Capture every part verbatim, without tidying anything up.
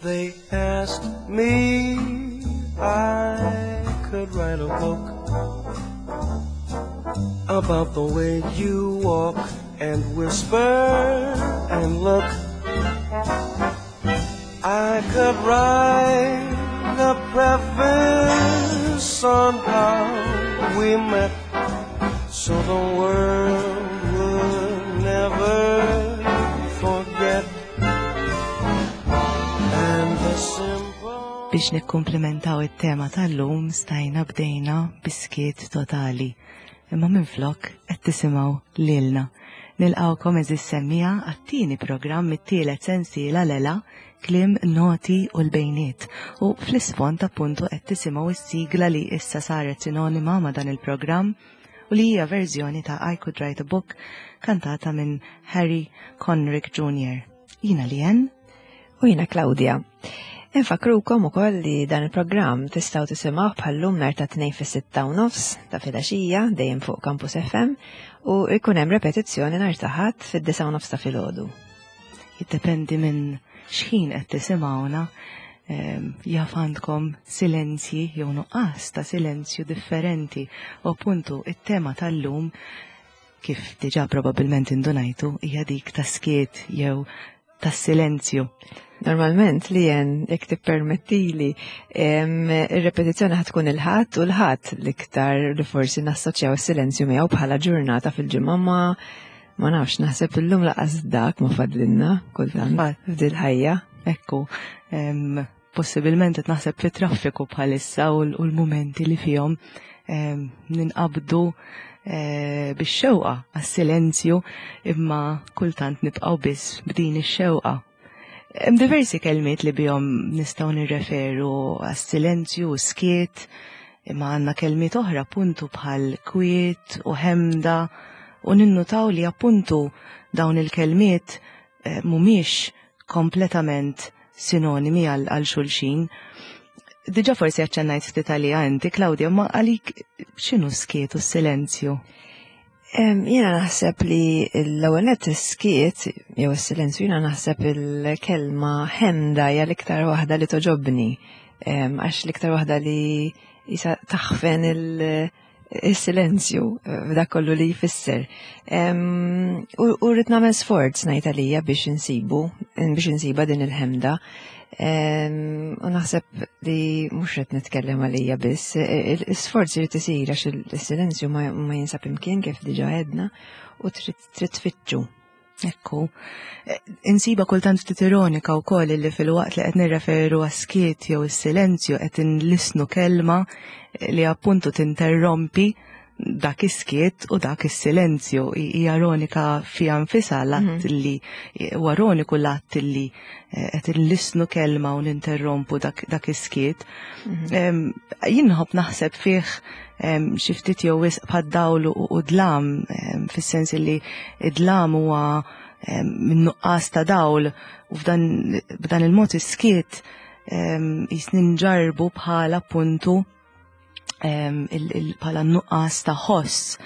They asked me I could write a book about the way you walk and whisper and look. I could write a preface on how we met so the world would never forget. And the simple Biex nikkumplementaw it-tema tal-lum stajna bdejna bis-skiet totali. Imma minflok qed tisimgħu lilna. Nilqawkom, għeżież semmiegħa, għat-tieni programm mit-tielet sensiela Lela Kliem, Noti u l-Bejniet. U fl-isfond appuntu qed tisimgħu s-sigla li issa saret sinonima ma' dan il-programm u li hija verżjoni ta' I Could Write a Book kantata minn Harry Conrick Junior Jiena Lien U jiena Claudia. Infakrukom ukoll li dan il-programm tistgħu tisimgħu bħallum nhar ta' Tnejn fis-sitta u nofs ta' filgħaxija dejjem fuq Campus F M u jkun hemm repetizzjoni nhar ta' Ħadd fid-disgħa u nofs ta' filgħodu. Jiddependi minn x'ħin qed tisimgħuna, ehm, jaf għandkom silenzji jew nuqqas ta' silenzju differenti u appuntu it-tema tal-lum, kif diġà probabbilment indunajtu, hija dik ta' skiet jew tas-silenzju. Normalment li jen, jekk tippermettili, ir-repetizzjoni ħa tkun il-Ħadd u l-Ħadd l-iktar li forsi nassoċjaw is-silenzju miegħu bħala ġurnata fil-ġimgħa, ma ma nafx, naħseb illum lanqas dak ma fadlilna kultant f'dil-ħajja. Ekku, em, possibilment qed naħseb fit traffiku bħalissa u l- u l-momenti li fihom em, ninqabdu eh, bix-xewqa għas-silenzju, imma kultant nibqgħu biss b'din ix-xewqa. Hemm diversi kelmiet li bihom nistgħu nirreferu għas-silenzju u skiet, imma għandna kelmiet oħra appuntu bħal kwiet u ħemda u ninnutaw li appuntu dawn il-kelmiet eh, mhumiex kompletament sinonimi għal għal xulxin. Diġà forsi aċċennajt ftit għalija inti, Claudia, ma għalik x'inhu skiet u s-silenzju? Em, Jiena naħseb li l-ewwel nett is-skiet jew is-silenzju, jiena naħseb il-kelma ħemda hija l-iktar waħda li togħġobni. Em, Għax l-iktar waħda li jisa taħfen il- il-silenzju f'dak kollu li jfisser. Em, U u rrid nagħmel sforz, ngħid għalija, biex insibu, biex insiba din il-ħemda. Em, U naħseb li mhux qed nitkellem għalija biss, il-sforz irid isir għax il-silenzju ma ma jinsab imkien, kif diġà għedna, u trid trid tfittxu. Ekku, Eh, insiba kultant ftit ironika wkoll li filwaqt li qed nirreferu għas-skiet jew is-silenzju qed inlisnu kelma li appuntu tinterrompi dak is-skiet u dak is-silenzju. Hija ironika fiha nfisha l-att li huwa ironiku l-att li eh, qed inlisnu kelma u ninterrompu dak, dak is-skiet. Em, Jien nħobb naħseb fih em, xi ftit jew wisq bħad-dawl u u dlam, em, fis-sens li id-dlam huwa em, minn nuqqas ta' dawl u f'dan b'dan il-mod is-skiet em, jisni nġarbu bħala appuntu em, il- il- bħala nuqqas ta' ħoss.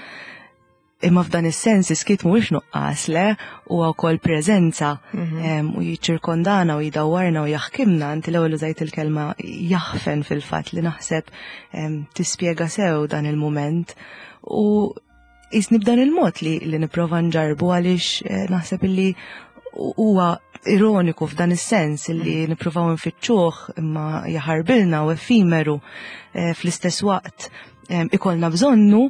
Imma f'dan is-sens is-skiet mhuwiex nuqqas, le, huwa wkoll preżenza em, u jiċċirkondana u jdawwarna u jaħkimna. Inti l-ewwel użajt il-kelma jaħfen, fil-fatt li naħseb em, tispjega sew dan il-mument u jisni b'dan il-mod li, li nipprova nġarbu, għaliex eh, naħseb illi huwa ironiku f'dan is-sens illi nippruvaw nfittxuh imma jaħarbilna u effimeru, eh, fl-istess waqt em, ikollna bżonnu,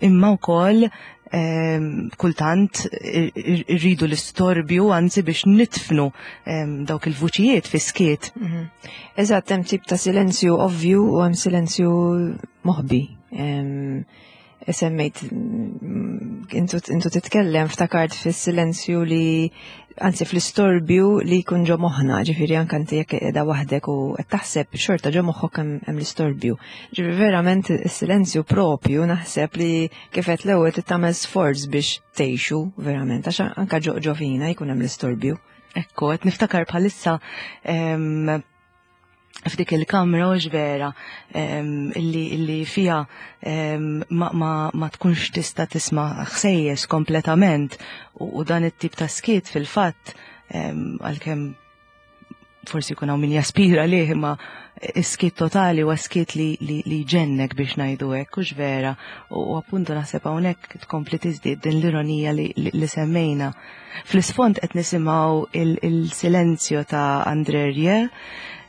imma wkoll em, kultant ir- ir- irridu l-istorbju anzi biex nitfnu em, dawk il-vuċijiet fi skiet. Eżatt, hemm tip ta' silenzju ovvju u hemm silenzju moħbi. Em, Semmejt, mm, intu intu titkellem, ftakart fis-silenzju li, anzi fl-istorbju li jkun ġo moħħna, ġifieri anke inti jekk qiegħda waħdek u qed taħseb, xorta ġo moħħok hemm hemm l-istorbju. Ġifieri verament is-silenzju propju naħseb li kif qed l-ewwel trid tagħmel sforz biex tgħixu verament, għax anke ġo ġo fina jkun hemm l-istorbju. Ekku, qed niftakar bħalissa em, f'dik il-kamra u vera em, illi, illi fija em, ma, ma, ma tkunx tista' tisma' ħsejjes kompletament u, u dan it-tip ta' skiet fil-fatt, em, għalkemm Forsi jkun hawn min jaspira lih, imma is-skiet totali huwa skiet li, li, li jġennek, biex ngħidu hekk, hux vera? U appuntu naħseb hawnhekk tkompli tiżdied din l-ironija li, li, li semmejna. Fl-isfond qed nisimgħu il-Silenzio ta' André Rieu,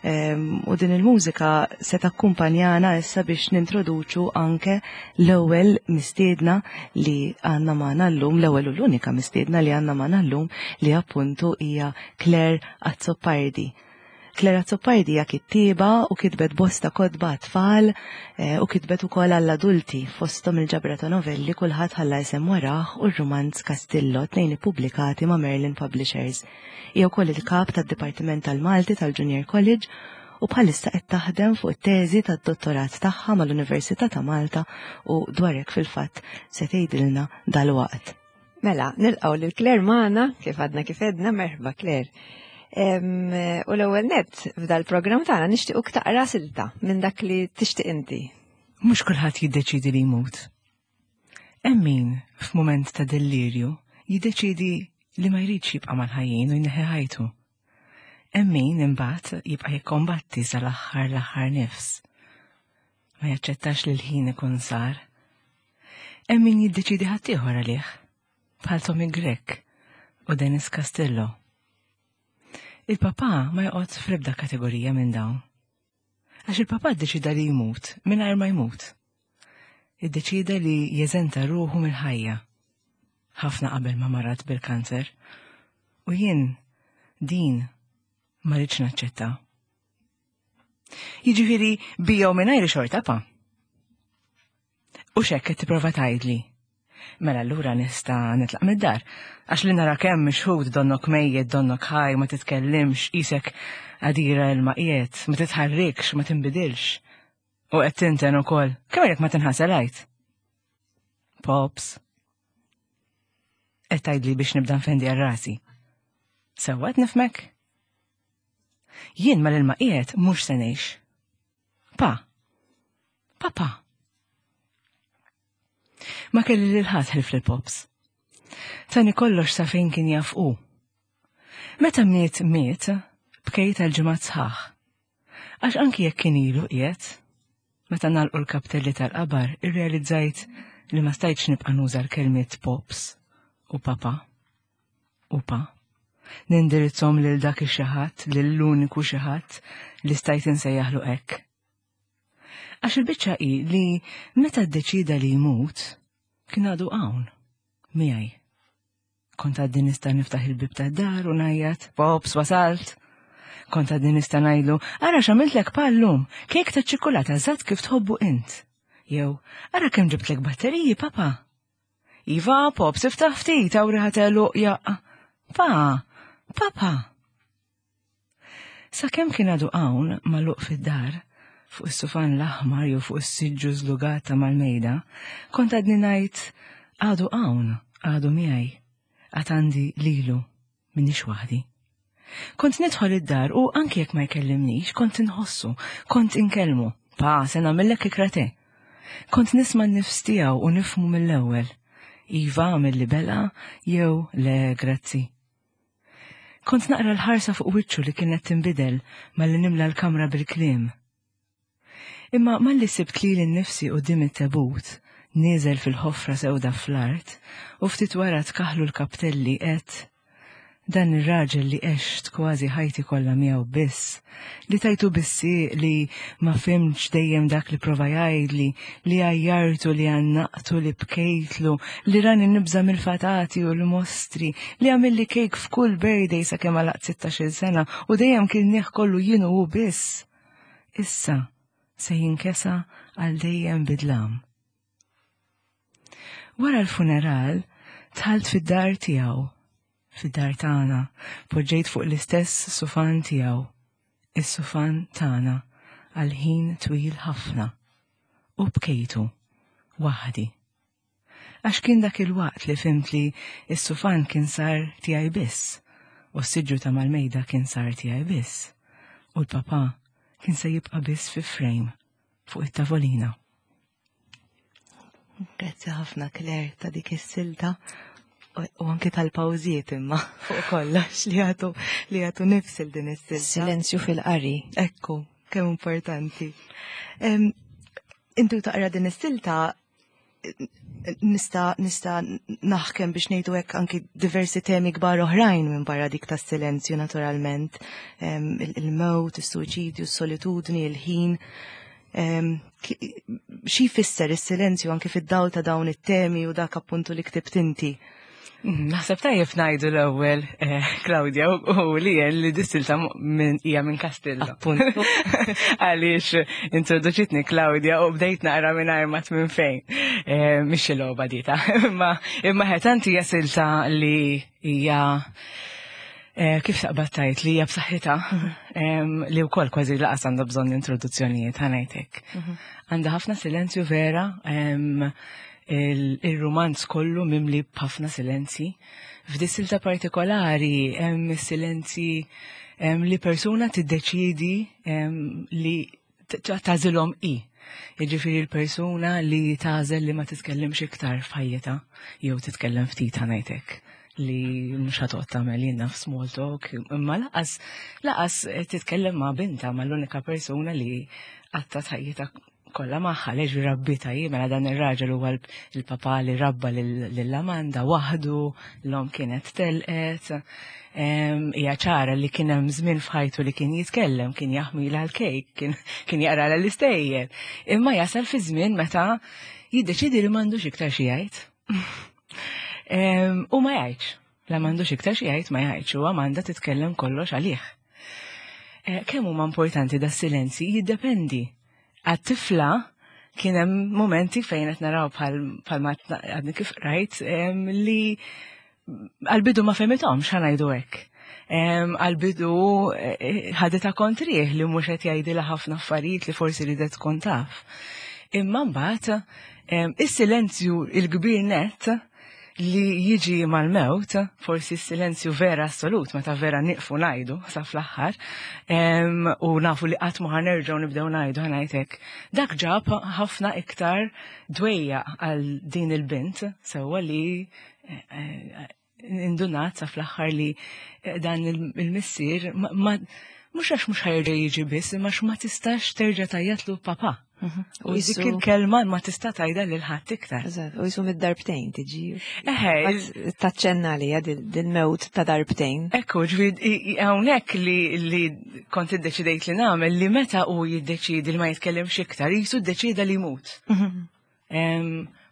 u din il-mużika se takkumpanjana issa biex nintroduċu anke l-ewwel mistiedna li għandna magħna llum, l-ewwel u l-unika mistiedna li għandna magħna llum, li appuntu hija Clare Azzopardi. Clare Azzopardi hija kittieba u kitbet bosta kotba tfal eh, u kitbet ukoll għall-adulti, fosthom il-ġabra ta' novelli Kulħadd Ħalla Isem Warah u r-rumanz Castillo, tnejn ippubblikati ma' Merlin Publishers. Hija wkoll il-kap tad-Dipartiment tal-Malti tal-Junior College u bħalissa qed taħdem fuq it-teżi tad-dottorat tagħha mal-Università ta' Malta u dwar hekk fil-fatt se tgħidilna dalwaqt. Mela, nilqgħu lil Clare magħna, kif għadna kif għedna, merħba, Clare. U l-ewwel net f'dal-programm tagħna nixtiequk taqra silta minn dak li tixtieq inti. Mhux kulħadd jiddeċidi li jmut. Hemm min f'mument ta' delirju jiddeċidi li ma jridx jibqa' mal-ħajjin u jneħħi ħajtu. Hemm min imbagħad jibqa' jikkombatti sal-aħħar l-aħħar nifs. Ma jaċċettax li l-ħin ikun sar. Hemm min jiddeċidi ħaddieħor għalih, bħal Tommy Grech u Dennis Castillo. Il-papa ma joqgħod fl-ebda kategorija minn dawn. Għax il-papa ddeċida li jmut mingħajr ma jmut. Iddeċida li jeżenta ruħu mill-ħajja. Ħafna qabel ma marad bil-kanser. U jien din ma rridx naċċetta. Jiġifieri bija u mingħajr xorta, pa. U x'hekk qed tipprova tgħidli? Mela allura nista' nitlaq mid-dar. Għax li nara kemm mixħut, donnok mejjet, donnok ħaj, ma titkellimx, qisek għadira il-maqiet, ma titħarrikx, ma tinbidilx. U qed tinten ukoll. Kemm jekk ma tinħasel għajt? Pops. Qed tgħidli biex nibda nfendi għal rasi. Sewwa qed nifhmek? Jien mal-ilma qiegħed mhux se ngħix. Pa. Papa. Ma kelli lil ħadd ħlief lill-pops. Tani kollox sa fejn kien jaf hu. Meta miet miet, bkejt għal ġimgħat sħaħ. Għax anki jekk kien ilu qiegħed, meta nagħlqu l-kaptelli tal-qabar, irrealizzajt li ma stajtx nibqa' nuża l-kelmiet pops u papa u pa. Nindirizzhom lil dak ix-xi ħadd, lill-uniku xi ħadd li stajt insejjaħlu hekk. Għax il-biċċa hi li meta ddeċida li jmut, kien għadu hawn, miegħi. Kont għadni nista' niftaħ il-bib tad-dar u ngħajjat, "Pops, wasalt." Kont għadni nista' ngħidlu, "Ara x'għamiltlek llum, kejk ta' ċikolata eżatt kif tħobbu int." Jew, "Ara kemm ġibtlek batteriji, papa." "Iva, Pops, iftaħ ftit, hawn riħa t'għeluq jaqq." "Pa, papa." Sa kemm kien għadu hawn magħluq fid-dar, fuq is-sufan l-aħmar jew fuq is-siġġu żlugata mal-mejda, kont għadni ngħid, "Għadu hawn, għadu miegħi, għad għandi lilu, m'iniex waħdi." Kont nidħol id-dar u anki jekk ma jkellimnix, kont inħossu, kont inkellmu, "Pa, se nagħmillek ikra te." Kont nisma' n-nifs tiegħu u nifhmu mill-ewwel. Iva, għamilli bela, jew le, grazzi. Kont naqra l-ħarsa fuq wiċċu li kienet tinbidel malli nimla l-kamra bil-kliem. Imma malli sibt lili nnifsi quddiem it-tebut, nieżel fil-ħofra sewda fl-art, u ftit wara tkaħlu l-kaptelli, għedt, "Dan ir-raġel li għext kważi ħajti kollha miegħu biss, li tajtu bissi, li ma fhimtx dejjem dak li prova jgħidli, li għajjartu, li għannaqtu, li bkejtlu, li rani nibża mill-fatati u l-mostri, li għamilli kejk f'kull birthday sa kemm għalaqt sittax-il sena u dejjem kien kollu jien u biss. Issa se jinkesa għal dejjem bid-dlam." Wara l-funeral, dħalt fid-dar tiegħu, fid-dar tagħna, poġġejt fuq l-istess sufan tiegħu, is-sufan tagħna, għal ħin twil ħafna, u bkejtu waħdi. Għax kien dak il-waqt li fhimt li s-sufan kien sar tiegħi biss, u s-siġġu ta' mal-mejda kien sar tiegħi biss, u l-papa kien se jibqa' biss fi frame fuq it-tavolina. Grazzi ħafna, Clare, ta' dik is-silta. U anki tal-pawżiet imma fuq kollox li jagħtu li jagħtu nifs il din is-silta. Silenzju fil-qari. Ekku, kemm importanti. Intu taqra din is-silta nista nista naħkem biex ngħidu hekk anki diversi temi kbar oħrajn minn barra dik tas-silenzju naturalment. Il-mewt, is-suwiċidju, is-solitudni, il-ħin. Xi jfisser is-silenzju anki fid-dawl ta' dawn it-temi u dak appuntu li ktibt inti? Naħseb tajjeb ngħidu l-ewwel, Claudia, u li li dis-silta hija minn Castillo. Appuntu. Għaliex introduċitni Claudia u bdejt naqra mingħajr ma minn fejn. Mhix xi logħba dita. Imma imma tant hija silta li hija kif taqbad tajt li hija b'saħħitha li wkoll kważi laqas għandha bżonn introduzzjonijiet ħa ngħidlek. Għandha ħafna silenzju vera, il-romanz kollu mimli b'ħafna silenzi. F'dis-silta partikolari hemm silenzi li persuna tiddeċidi li tagħżilhom i. Jiġifieri l-persuna li tagħżel li ma titkellimx iktar f'ħajjitha jew titkellem ftit ħa ngħidlek li mhux ħa toqgħod tagħmel jiena f'small talk, imma laqas laqas titkellem ma' binta ma' l-unika persuna li għattat ħajjitha kollha magħha leġ rabbita hi mela dan ir-raġel huwa il-papa li rabba lil Amanda waħdu, l-omm kienet telqet. Hija ċara li kien hemm żmien f'ħajtu li kien jitkellem, kien jaħmilha l-kejk, kien kien jaqra l-istejjer. Imma jasal fi żmien meta jiddeċidi li m'għandux iktar xi jgħid. U ma jgħidx. La m'għandux iktar xi jgħid ma jgħidx u Amanda titkellem kollox għalih. Kemm huma importanti da silenzi jiddependi. Għat-tifla kien hemm momenti fejn qed naraw bħal ma għadni kif rajt li għal-bidu ma fehmithomx ħa ngħidu hekk. Għal-bidu ħaditha kontrih li mhux qed jgħidilha ħafna affarijiet li forsi ridet tkun taf. Imma mbagħad is-silenzju il-kbir net li jiġi mal-mewt, forsi s-silenzju vera assolut, meta vera niqfu ngħidu sa fl-aħħar, u nafu li qatt ma ħa nerġgħu nibdew ngħidu ħa ngħidlek, dak ġab ħafna iktar dwejja għal din il-bint, sewwa li indunat sa fl-aħħar li dan il-missier ma mhux għax mhux ħa jerġa' jiġi biss, imma ma tistax terġa' tgħajjatlu papa. U dik il-kelma ma tista' tgħidha lil ħadd iktar. Eżatt, u jisu mid-darbtejn tiġi. Eħe, Taċċenna li dil-mewt ta' darbtejn. Ekku, ġifieri hawnhekk li li kont iddeċidejt li nagħmel li meta hu jiddeċidi li ma jitkellimx iktar, jisu ddeċida li jmut.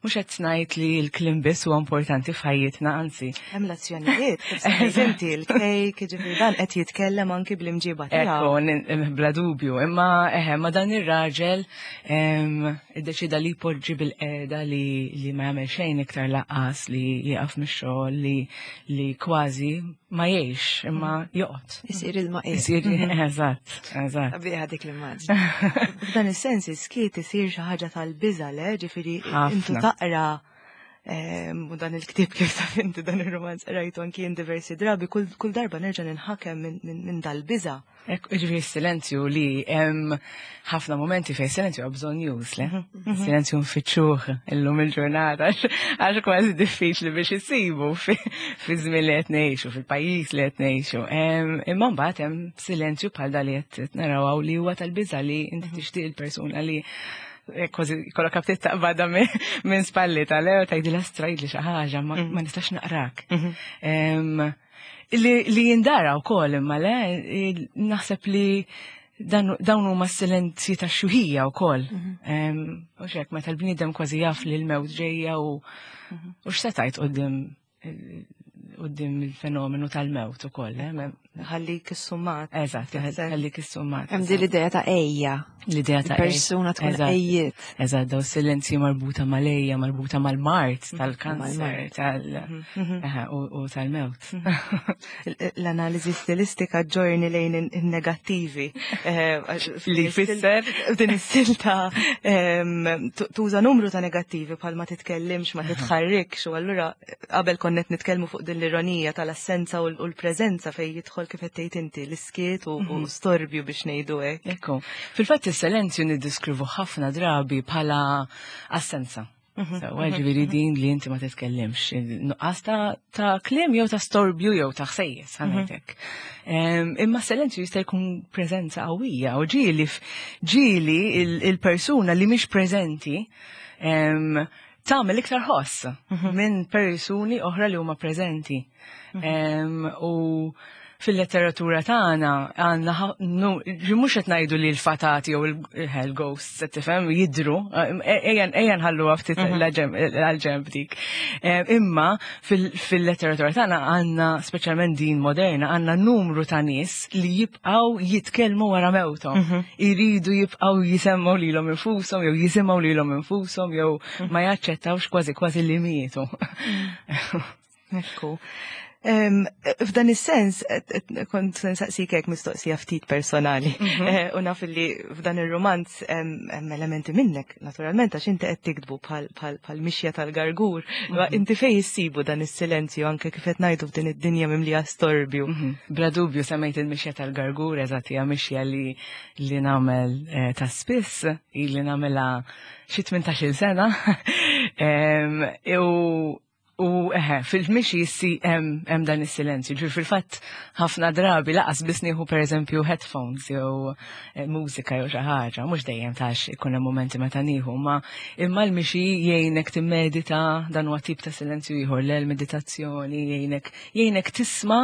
Mhux qed ngħid li l-kliem biss huwa importanti f'ħajjitna, anzi. Hemm l-azzjonijiet, kif semmejt inti l-kejk, ġifieri dan qed jitkellem anki bl-imġiba tiegħu. Ekku, bla dubju, imma eħe, ma dan ir-raġel iddeċida li jpoġġi bil-qeda li li ma jagħmel xejn iktar laqqas li jieqaf mix-xogħol li li kważi ma jgħix imma joqgħod. Isir il-maqir. Isir, eżatt, eżatt. Sabiħa dik l-immaġni. F'dan is-sens is-skiet isir xi ħaġa tal-biża' le, ġifieri intu taqra u dan il-ktieb kif taf inti dan ir-romanz rajtu anki jien diversi drabi, kull darba nerġa' ninħakem minn dal-biża'. Ekku, ġifieri s-silenzju li hemm ħafna momenti fejn silenzju huwa bżonn-już, le? Silenzju nfittxuh illum il-ġurnata għax kważi diffiċli biex isibu fi żmien li qed ngħixu, fil-pajjiż li qed ngħixu. Imma mbagħad hemm silenzju bħal dal li qed naraw li huwa tal-biża' li inti tixtieq il-persuna li kważi kollok aptit taqbadha minn spalli tal-ew tgħidilha strajd li xi ħaġa ma nistax naqrak. Li jindara wkoll imma le, naħseb li dawn huma s-silenzji tax-xjuħija wkoll. U xek meta l-bniedem kważi jaf li l-mewt ġejja u u x'se tgħid quddiem quddiem il-fenomenu tal-mewt ukoll. Ħallik is-summat. Eżatt, ħallik is-summat. Hemm din l-idea ta' ejja. L-idea ta' persuna tkun ejjiet. Eżatt, daw silenzji marbuta mal-ejja, marbuta mal-mart, tal-kanser, tal u tal-mewt. L-analiżi stilistika ġorni lejn in-negattivi. Li jfisser? Din is-silta tuża numru ta' negattivi bħal ma titkellimx, ma titħarrikx, u allura qabel konnet nitkellmu fuq din l-ironija tal-assenza u l-preżenza fejn jidħol kif qed tgħid inti l-iskiet u storbju biex ngħidu hekk. Ekku. Fil-fatt is-silenzju niddiskrivu ħafna drabi bħala assenza. Sewwa, ġifieri din li inti ma titkellimx. Nuqqas ta' ta' kliem jew ta' storbju jew ta' ħsejjes, ħa ngħidlek. Imma silenzju jista' jkun preżenza qawwija u ġieli ġieli il-persuna li mhix preżenti tagħmel iktar ħoss minn persuni oħra li huma preżenti. U fil-letteratura tagħna għandna, mhux qed ngħidu li l-fatati jew il-hell ghosts, qed tifhem, jidru, ejja nħalluha ftit għal-ġenb dik. Imma fil-letteratura tagħna għandna, speċjalment din moderna, għandna numru ta' nies li jibqgħu jitkellmu wara mewthom. Iridu jibqgħu jisemgħu lilhom infushom jew jisimgħu lilhom infushom jew ma jaċċettawx kważi kważi li mietu. Ekku. F'dan is-sens, kont nsaqsik hekk mistoqsija ftit personali. Eh, u naf li f'dan ir-romanz hemm elementi minnek, naturalment, għax inti qed tiktbu bħal mixja tal-gargur. Inti fejn issibu dan is-silenzju anke kif qed ngħidu f'din id-dinja mimlija storbju? Mhm. Bla dubju semmejt il-mixja tal-gargur, eżatt, hija mixja li li nagħmel eh, ta' spiss, li nagħmilha xi tmintax-il sena. U U eħe, fil-mixi jissi hemm dan is-silenzju. Ġifieri fil-fatt ħafna drabi lanqas biss nieħu, pereżempju, headphones jew eh, mużika jew xi ħaġa, mhux dejjem tax ikun hemm momenti meta nieħu, ma imma l-mixi jgħinek timmedita. Dan huwa tip ta' silenzju ieħor, l meditazzjoni jgħinek jgħinek tisma'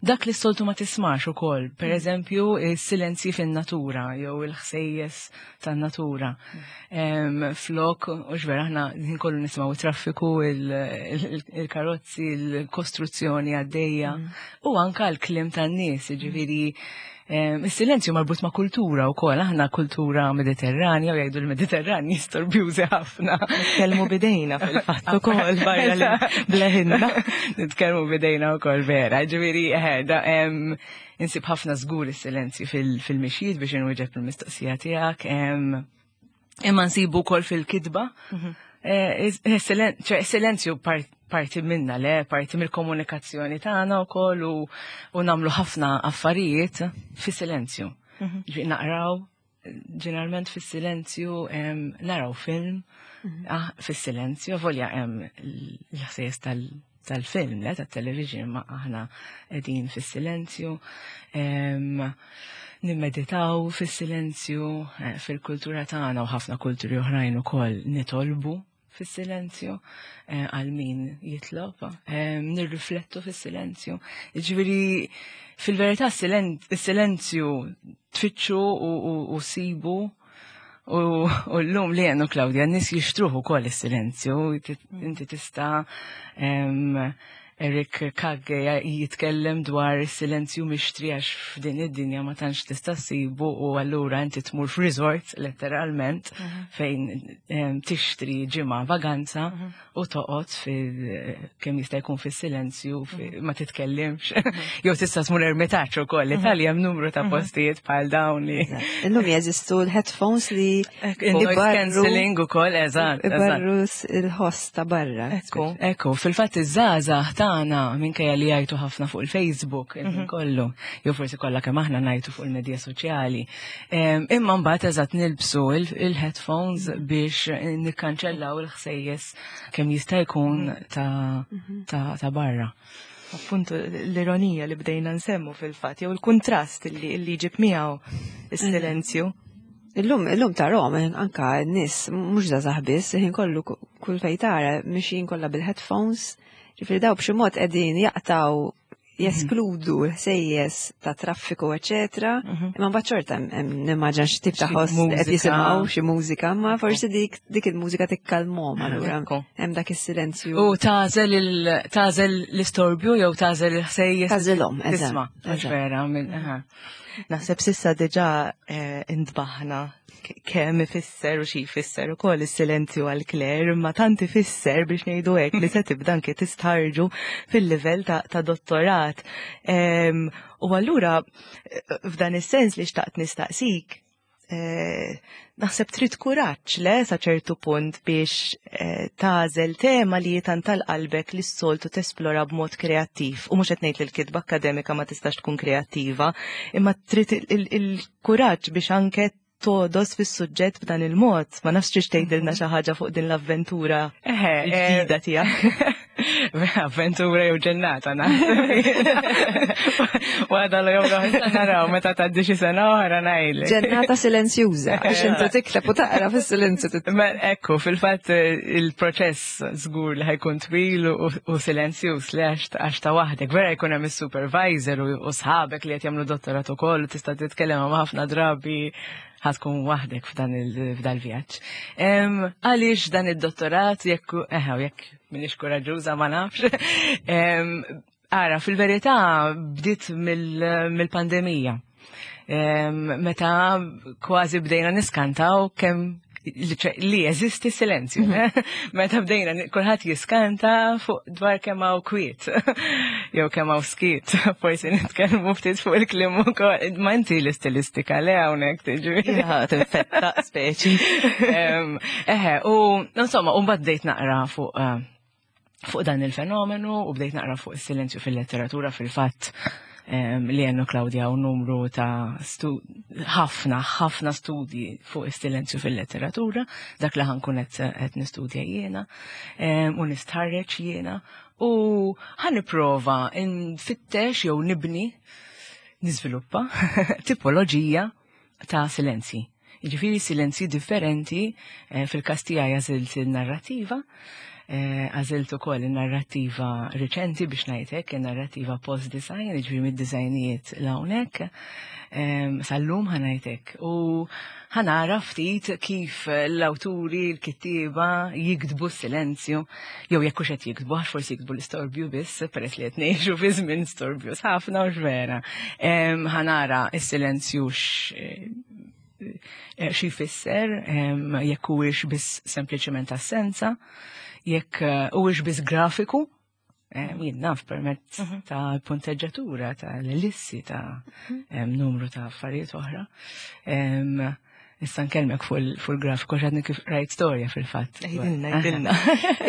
dak li s-soltu ma tismax ukoll. Pereżempju, is-silenzji fin-natura jew il-ħsejjes tan-natura. Flok, u vera aħna kollu nisimgħu traffiku, il-karozzi, il-kostruzzjoni għaddejja u anka l-kliem tan-nies, ġifieri il-silenzju marbut ma' kultura u koll, aħna kultura Mediterranja u jgħidu l-Mediterrani storbjużi ħafna. Nitkellmu bidejna fil-fatt ukoll barra li bleħinna. Nitkellmu bidejna wkoll, vera, ġifieri insib ħafna żgur is-silenzju fil-mixjiet, biex inwieġeb il-mistoqsija tiegħek. Imma nsibu wkoll fil-kitba. Eh, silenzju parti minna, le, parti mill-komunikazzjoni tagħna wkoll u, u nagħmlu ħafna affarijiet fi silenzju. Mhm. Naqraw, ġeneralment fis-silenzju, naraw film mhm. ah, fis-silenzju, volja hemm l-ħsejjes tal-film, le, tat-television, ma aħna qegħdin fis-silenzju. Nimmeditaw fis-silenzju, eh, fil-kultura tagħna u ħafna kulturi oħrajn ukoll nitolbu fis-silenzju eh, għal min jitlob, eh, nirriflettu fis-silenzju. Ġifieri fil-verità is-silenzju tfittxu u sibu u l-lum li għenu Claudia, n-nies jixtruh ukoll is-silenzju, inti tista' Eric Kagge jitkellem dwar silenzju mixtri għax f'din id-dinja ma tantx tista' ssibu u allura inti tmur f'resort letteralment mhm. fejn tixtri ġimgħa vaganza mhm. u toqgħod fil kemm jista' jkun fis-silenzju, mhm. ma titkellimx. Jew tista' tmur ermitaġġ ukoll. L-Italja hemm numru ta' postijiet bħal dawn li. Illum jeżistu l-headphones li noise cancelling ukoll, eżatt. Ibarru il-ħoss ta' barra. Ekku, ekku, fil-fatt iż-żgħażagħ tagħna, minkejja li jgħajtu ħafna fuq il-Facebook, mhm. kollu, jew forsi kollha kemm aħna ngħajtu fuq il-medja soċjali. Imma mbagħad eżatt nilbsu il-headphones biex nikkanċellaw il-ħsejjes kemm jista' jkun ta' mhm. ta' barra. Appuntu l-ironija li bdejna nsemmu fil-fatt, jew il-kontrast li li ġib miegħu is-silenzju. Illum, illum ta' Rom, anka n-nies, mhux żgħażagħ biss, ħin kollu kull fejn tara, mixjin kollha bil-headphones, ġifieri daw b'xi mod qegħdin jaqtaw, jeskludu l-ħsejjes ta' traffiku, eċetera. Mhm. Imma mbagħad xorta hemm, nimmaġina, xi tip ta' ħoss qed jisimgħu xi mużika, ma forsi dik dik il-mużika tikkalmhom, allura hemm dak is-silenzju. U tagħżel tagħżel l-istorbju jew tagħżel il-ħsejjes. Tagħżilhom, Tisma' vera. Naħseb s'issa diġà eh, intbaħna kemm ifisser u xi jfisser ukoll is-silenzju għal Claire, imma tant ifisser, biex ngħidu hekk, li se tibda anke tistħarġu fil-livell ta', ta dottorat. U allura f'dan is-sens li xtaqt nistaqsik, eh, naħseb trid kuraġġ, le, sa ċertu punt biex eh, tagħżel tema li tant tal-qalbek li s-soltu tesplora b'mod kreattiv. U mhux qed ngħid li l-kitba akkademika ma tistax tkun kreattiva, imma trid il-kuraġġ biex anke Togħdos fis-suġġett b'dan il-mod. Ma nafx tridx tgħidilna xi ħaġa fuq din l-avventura Eħe, l-ġdida tiegħek. Avventura jew ġennata, naħseb. Waħda l jew l-oħra naraw meta tgħaddi xi sena oħra ngħidlek. Ġennata silenzjuża, għax inti tikteb u taqra fis-silenzju. Ma ekku, fil-fatt il-proċess żgur li ħa jkun twil u u silenzjuż li għax għax ta' waħdek. Vera jkun hemm is-supervisor u u sħabek li qed jagħmlu dottorat ukoll u tista' titkellem ma' ħafna drabi ħa tkun waħdek f'dan il-vjaġġ. Għaliex dan id-dottorat jekk eħe jekk minix koraġuża ma nafx. Em, Ara, fil-verità bdiet mill-pandemija. Em, Meta kważi bdejna niskantaw kemm li li jeżisti silenzju. Meta bdejna kulħadd jiskanta fuq dwar kemm hawn kwiet. Jew kemm hawn skiet. Forsi nitkellmu ftit fuq il-kliem ukoll. Ma inti l-istilistika le hawnhekk tiġi. Ja, tinfetta speċi. Em, Eħe, u insomma, u mbagħad bdejt naqra fuq eh, fuq dan il-fenomenu u bdejt naqra fuq is-silenzju fil-letteratura fil-fatt em, li għennu Claudia u numru ta' stu- ħafna, ħafna studji fuq is-silenzju fil-letteratura, dak li ħa nkun qed qed nistudja jiena em, u nistħarreġ jiena u ħa nipprova nfittex jew nibni niżviluppa tipoloġija ta' silenzji. Jiġifieri silenzji differenti, eh, fil-każ tiegħi għażilt il-narrativa, eh, għażilt ukoll il-narrativa riċenti biex ngħidlek, il-narrativa post-design, jiġifieri mid-disgħinijiet 'l hawnhekk, em, sal-lum ħa ngħidlek. U ħa nara ftit kif l-awturi, l-kittieba jiktbu s-silenzju, jew jekk hux qed jiktbu, għax forsi jiktbu l-istorbju biss, peress li qed ngħixu fi żmien storbju ħafna u vera. Em, Ħa nara s-silenzju x- eh, xi jfisser, em, jekk huwiex biss sempliċement assenza, jekk eh, huwiex biss grafiku, em, jien naf permezz ta' punteġġatura, ta' l-ellissi, ta' em, numru ta' affarijiet oħra. Em, Issa nkellmek fuq il- fuq il-grafiku għax għadni kif rajt storja fil-fatt. Għidilna, għidilna.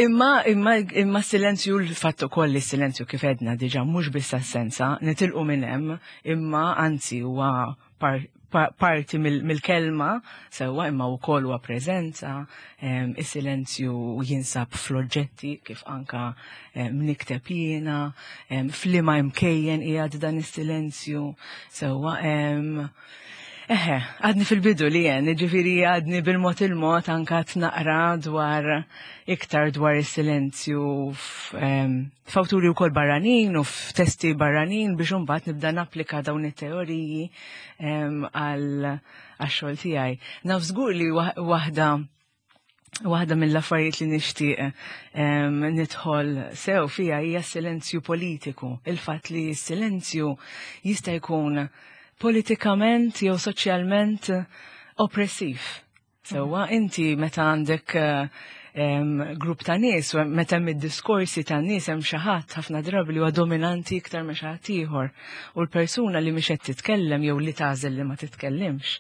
Imma, imma, imma silenzju l-fatt ukoll li silenzju kif edna diġà mhux biss assenza, nitilqu minn hemm, imma anzi huwa par, pa- parti mill- mill-kelma sewwa imma wkoll huwa preżenza, em, is-silenzju jinsab fl-oġġetti kif anka em, nikteb jiena, em, f'liema imkejjen qiegħed dan is-silenzju sewwa em, Eħe, għadni fil-bidu li jen, ġifiri għadni bil-mod il-mod anka naqra dwar iktar dwar is-silenzju f- em, f'awturi wkoll barranin u f'testi barranin biex imbagħad nibda napplika dawn it-teoriji em, għal għax-xogħol tiegħi. Naf żgur li waħ- waħda Waħda mill-affarijiet li nixtieq em, nidħol sew fija hija s-silenzju politiku. Il-fatt li s-silenzju jista' jkun politikament jew soċjalment oppressiv. Sewwa inti meta għandek eh, em, grupp ta' nies, u meta hemm id-diskorsi ta' nies hemm xi ħadd ħafna drabi li huwa dominanti iktar minn xi ħadd ieħor. U l-persuna li mhix qed titkellem jew li tagħżel li ma titkellimx.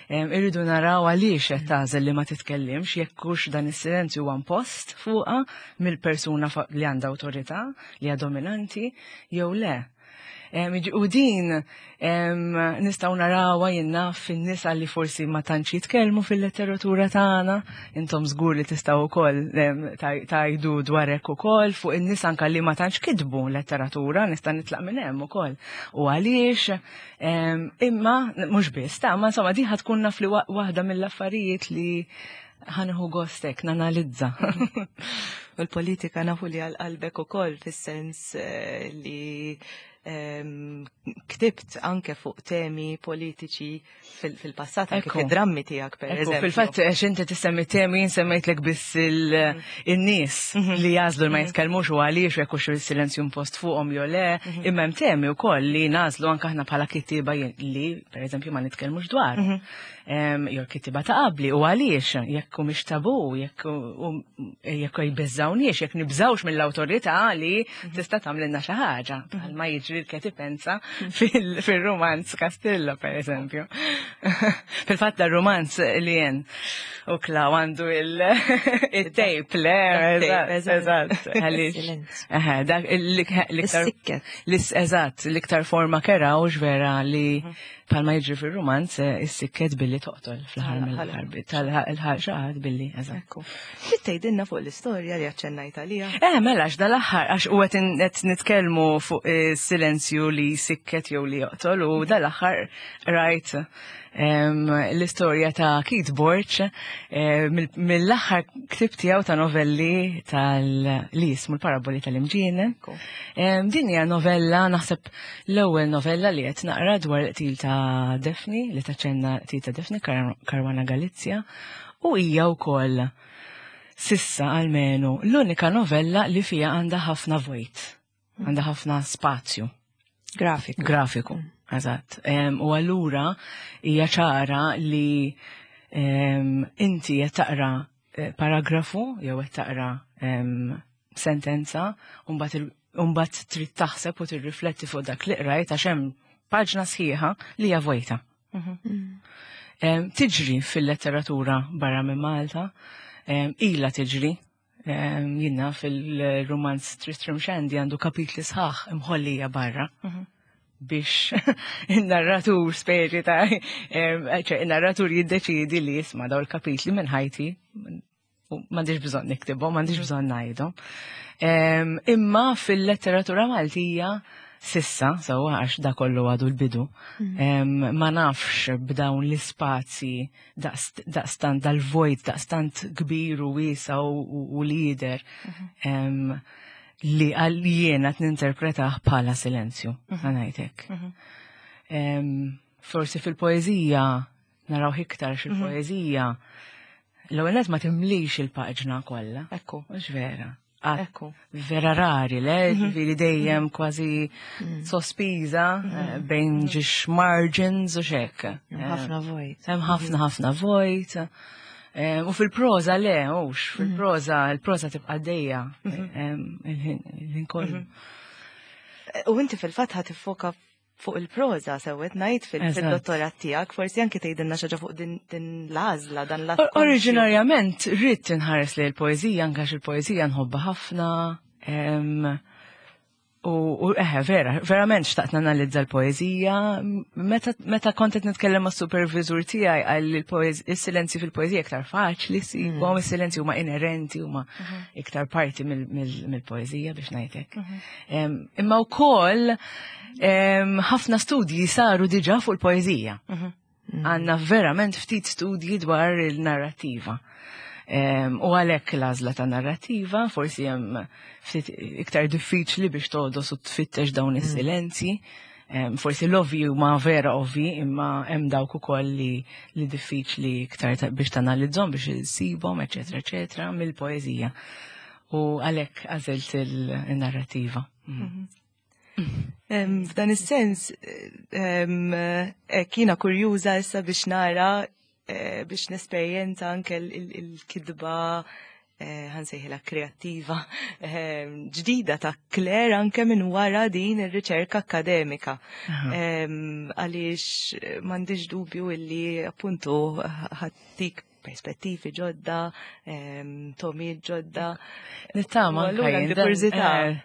Em, Irridu naraw għaliex qed tagħżel li ma titkellimx jekk hux dan is-silenzju huwa impost fuqha mill-persuna fa- li għandha awtorità, li hija dominanti, jew le. Em, iġ- U din em, nistgħu narawha jien naf fin-nisa li forsi ma tantx jitkellmu fil-letteratura tagħna, intom żgur li tistgħu wkoll em, taj- tgħidu dwar hekk ukoll fuq in-nisa anka li ma tantx kitbu letteratura, nista' nitlaq minn hemm ukoll. U għaliex em, imma mhux biss, ta' ma insomma din ħa tkun naf li wa- waħda mill-affarijiet li ħa nieħu gost hekk nanalizza. U l-politika nafu li għal qalbek ukoll fis-sens eh, li em, ktibt anke fuq temi politiċi fil- fil-passat, anke Ekku. fid-drammi tiegħek per Ekku, eżempju. Fil-fatt, għax inti tissemmi temi, jien semmejtlek biss il- in-nies li jagħżlu li ma jitkellmux u għaliex u jekk hux il-silenzju impost fuqhom jew le, imma hemm temi wkoll li nagħżlu anke aħna bħala kittieba jien- li, per eżempju, ma nitkellmux dwar. Em, Jew kittieba ta' qabli u għaliex jekk humiex tabu, jekk u- jekk jbeżżawniex, jekk nibżawx mill-awtorità li tista' tagħmlilna xi ħaġa, bħalma jiġri l-Kathy Pensa fil- fil-romanz Castillo, per eżempju. Fil-fatt da romanz li jen u Klaw għandu il-tape, le, tape, eżatt, eżatt. Għaliex. Silenzju. Eħe, dak l-iktar. Is-sikket. Lis, eżatt, l-iktar forma kera u vera li Bħalma jiġri fil-romanz, eh, issikket billi toqtol fl-aħħar mill-aħħar, tal-ħaġa billi, eżatt. Ekku. Trid tgħidilna fuq l-istorja li aċċennajt għaliha? Eh, mela, għax dal-aħħar, għax u qed nitkellmu fuq silenzju li sikket jew li joqtol, u dal-aħħar rajt em, l-istorja ta' Keith Borg eh, mill- mill-aħħar ktib tiegħu ta' novelli tal li jismu l-Paraboli tal-Imġienen. Em, Din hija novella, naħseb l-ewwel novella li qed naqra dwar il-qtil ta' Daphne, li taċċenna qtil ta' Daphne Kar- Caruana Galizia, u hija wkoll s'issa almenu l-unika novella li fija għandha ħafna vojt, għandha ħafna spazju Grafiku. grafiku. Eżatt. Em, U allura hija ċara li em, inti qed taqra eh, paragrafu jew qed taqra em, sentenza u mbagħad il- u mbagħad trid taħseb u tirrifletti fuq dak li qrajt għax hemm paġna sħiħa li hija vojta. Em, Tiġri fil-letteratura barra minn Malta, em, ila tiġri, em, jiena fil-romanz Tristram Shandy għandu kapitli sħaħ imħollija barra biex il-narratur speċi ta' em, ċe, il-narratur jiddeċidi li jisma' daw il-kapitli minn ħajti u m'għandix bżonn niktibhom, m'għandix bżonn ngħidhom. Em, Imma fil-letteratura Maltija s'issa, sewwa għax da kollu għadu l-bidu, em, ma nafx b'dawn l-ispazji daqst- daqstant dal-vojt, daqstant kbir u wiesa u, u, u lider em, li għal jiena ninterpretah bħala silenzju, ħa ngħidlek. Em, Forsi fil-poezija, naraw iktar xil-poezija, l-ewwel nett ma timlix il-paġna kollha. Ekku. Mhux vera. Għad Ekku. Vera rari, le, ġifieri dejjem kważi sospiża eh, bejn ġiex margins u xek. Ħafna vojt. Hemm ħafna ħafna vojt. Eh, U fil-proza le, ux, fil-proza, il-proza tibqa' dejja il-ħin il-ħin kollu. U inti fil-fatt ħa tiffoka fuq il-proza sewwa ngħid fil- Eżatt. fil-dottorat tiegħek, forsi anke tgħidilna xi ħaġa fuq din din l-għażla dan l Or- Oriġinarjament ridt inħares li l-poezija, anke għax il-poezija nħobbha ħafna. em, U u eħe, vera, verament xtaqt nanalizza l-poezija. Meta, meta kont qed nitkellem ma' supervisur tiegħi għal il-silenzji fil-poezija iktar faċli ssibhom, is-silenzji huma inerenti, huma iktar parti mill- mill- mill-poezija biex ngħidlek. Em, Imma wkoll em, ħafna studji saru diġà fuq il-poezija. Għandna verament ftit studji dwar il-narrativa. Em, U għalhekk l-għażla ta' narrativa, forsi hemm ftit iktar diffiċli biex togħdos u tfittex dawn is-silenzji. Em, Forsi l-ovvi huma vera ovvi, imma hemm dawk ukoll li, li diffiċli iktar ta- biex tanalizzhom, biex issibhom, eċetera, eċetera, mill-poeżija. U għalhekk għażilt il-narrativa. Mm. Em, F'dan is-sens, em, eh, jiena kurjuża issa biex nara eh, biex nesperjenza anke il- il- il-kidba eh, ħa nsejħilha kreattiva em, ġdida ta' Claire anke minn wara din ir-riċerka akademika. Em, Għaliex eh, m'għandix dubju illi appuntu ħa ttik perspettivi ġodda, em, togħmiet ġodda. Nittama. U allura anke għandi jien, dan- kurżità. eh,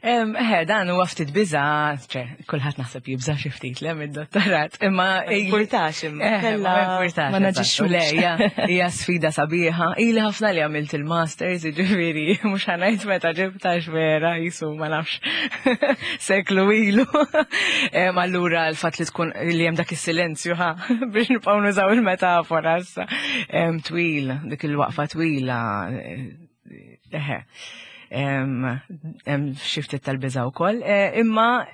em, Eh, dan huwa ftit biża, ċe, kulħadd naħseb jibża xi ftit le mid-dottorat, imma Ma jimpurtax imma, Eh, kella ma jimpurtax, ma eżatt. naġixxux. Le, hija- hija sfida sabiħa. Ili ħafna li għamilt il-masters, jiġifieri mhux ħa ngħid meta ġibtax vera, jisu ma nafx seklu ilu. Em, Allura l-fatt li tkun li hemm dak is-silenzju ħa biex nibqgħu nużaw il-metafora issa. Em, Twil, dik il-waqfa twila. eh, Eħe. Em, Hemm xi ftit tal-biża wkoll. Eh, Imma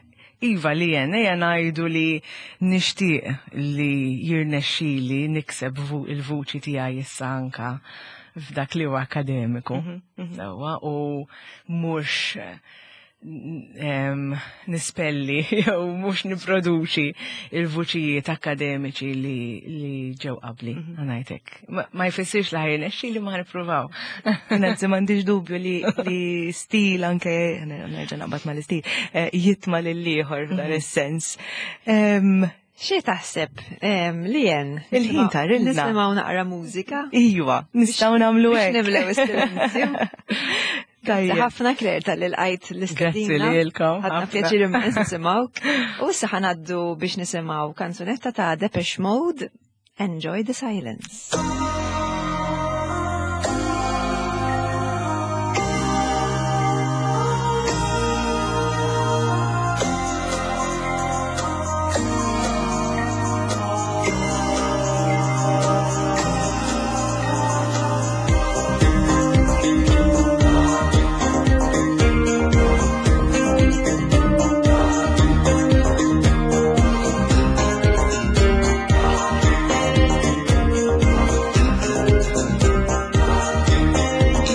Iva li jen, ejja ngħidu li nixtieq li jirnexxili nikseb vu- il-vuċi tiegħi issa anka f'dak li huwa akademiku. Sewwa, u mhux em, nispelli jew mhux nipproduċi il-vuċijiet akademiċi li, li ġew qabli, ħa ngħidlek. Ma, ma jfissirx li ħa jirnexxili ma nippruvaw. Anzi, m'għandix dubju li, li stil anke, nerġa' naqbad mal-istil, eh, jitma' lill-ieħor f'dan is-sens. Em, Xi taħseb em, li jen? Il-ħin tarilna. Nisimgħu naqra mużika. Iva, nistgħu nagħmlu Biex hekk. nimlew is-silenzju. Grazzi ħafna Claire talli lqajt l-istedina. Grazzi lilkom. Ħadna pjaċir immens nisimgħuk. U issa ħa ngħaddu biex nisimgħu kanzunetta ta' Depeche Mode, Enjoy the Silence.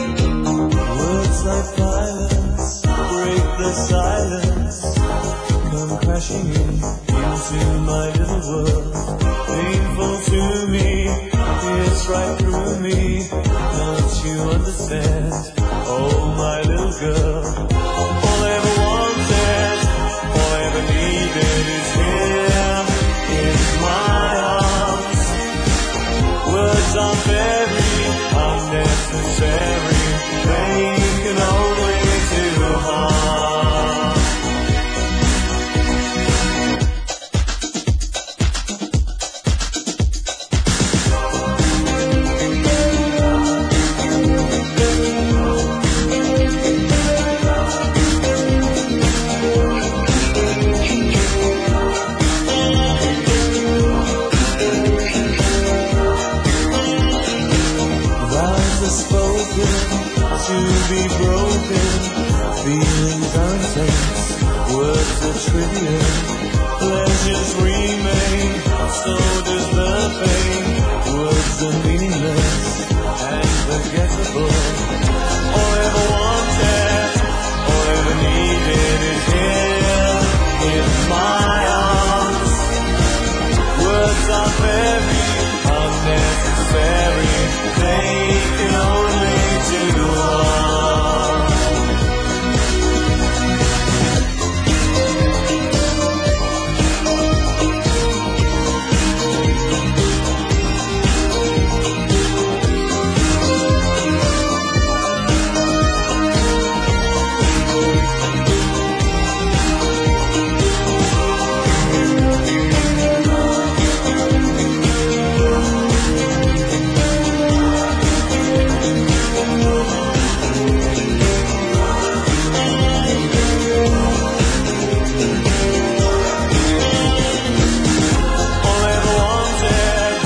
Words like violence break the silence, come crashing in into my little world. Painful to me, it's right through me. Don't you understand? Oh, my little girl. All I ever wanted, all I ever needed is here in my arms. Words are very unnecessary. They can only do harm. Vows are spoken to be broken. Feelings are intense, words are trivial. Pleasures remain, so does the pain. Words are meaningless and forgettable. All I ever wanted, all I ever needed is here in my arms. Words are very unnecessary. They can only do harm. All I ever wanted,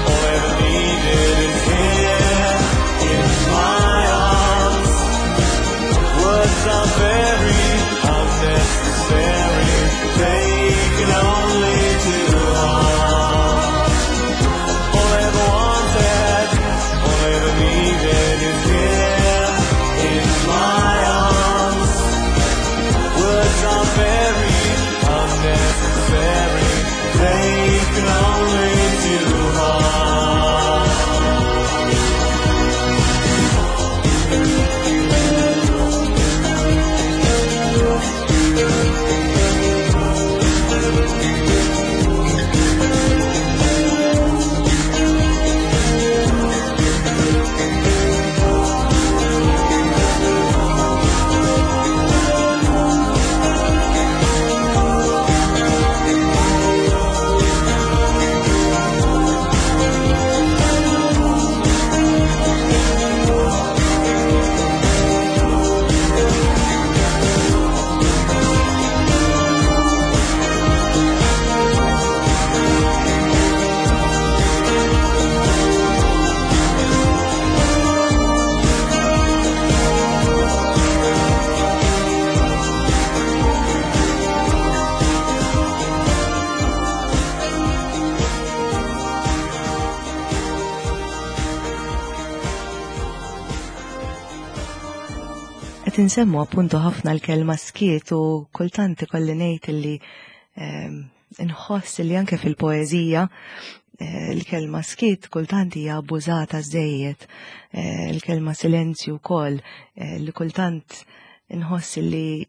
all I ever needed is here in my arms. Words are very unnecessary. They can only do harm. All I ever wanted, all I ever needed is here in my arms. Words are very unnecessary. They can only do harm. Qed insemmu appuntu ħafna l-kelma skiet u kultant ikolli ngħid illi ehm, nħoss li anke fil-poeżija eh, l-kelma skiet kultant hija abbużata żejjed, eh, l-kelma silenzju wkoll eh, li kultant nħoss li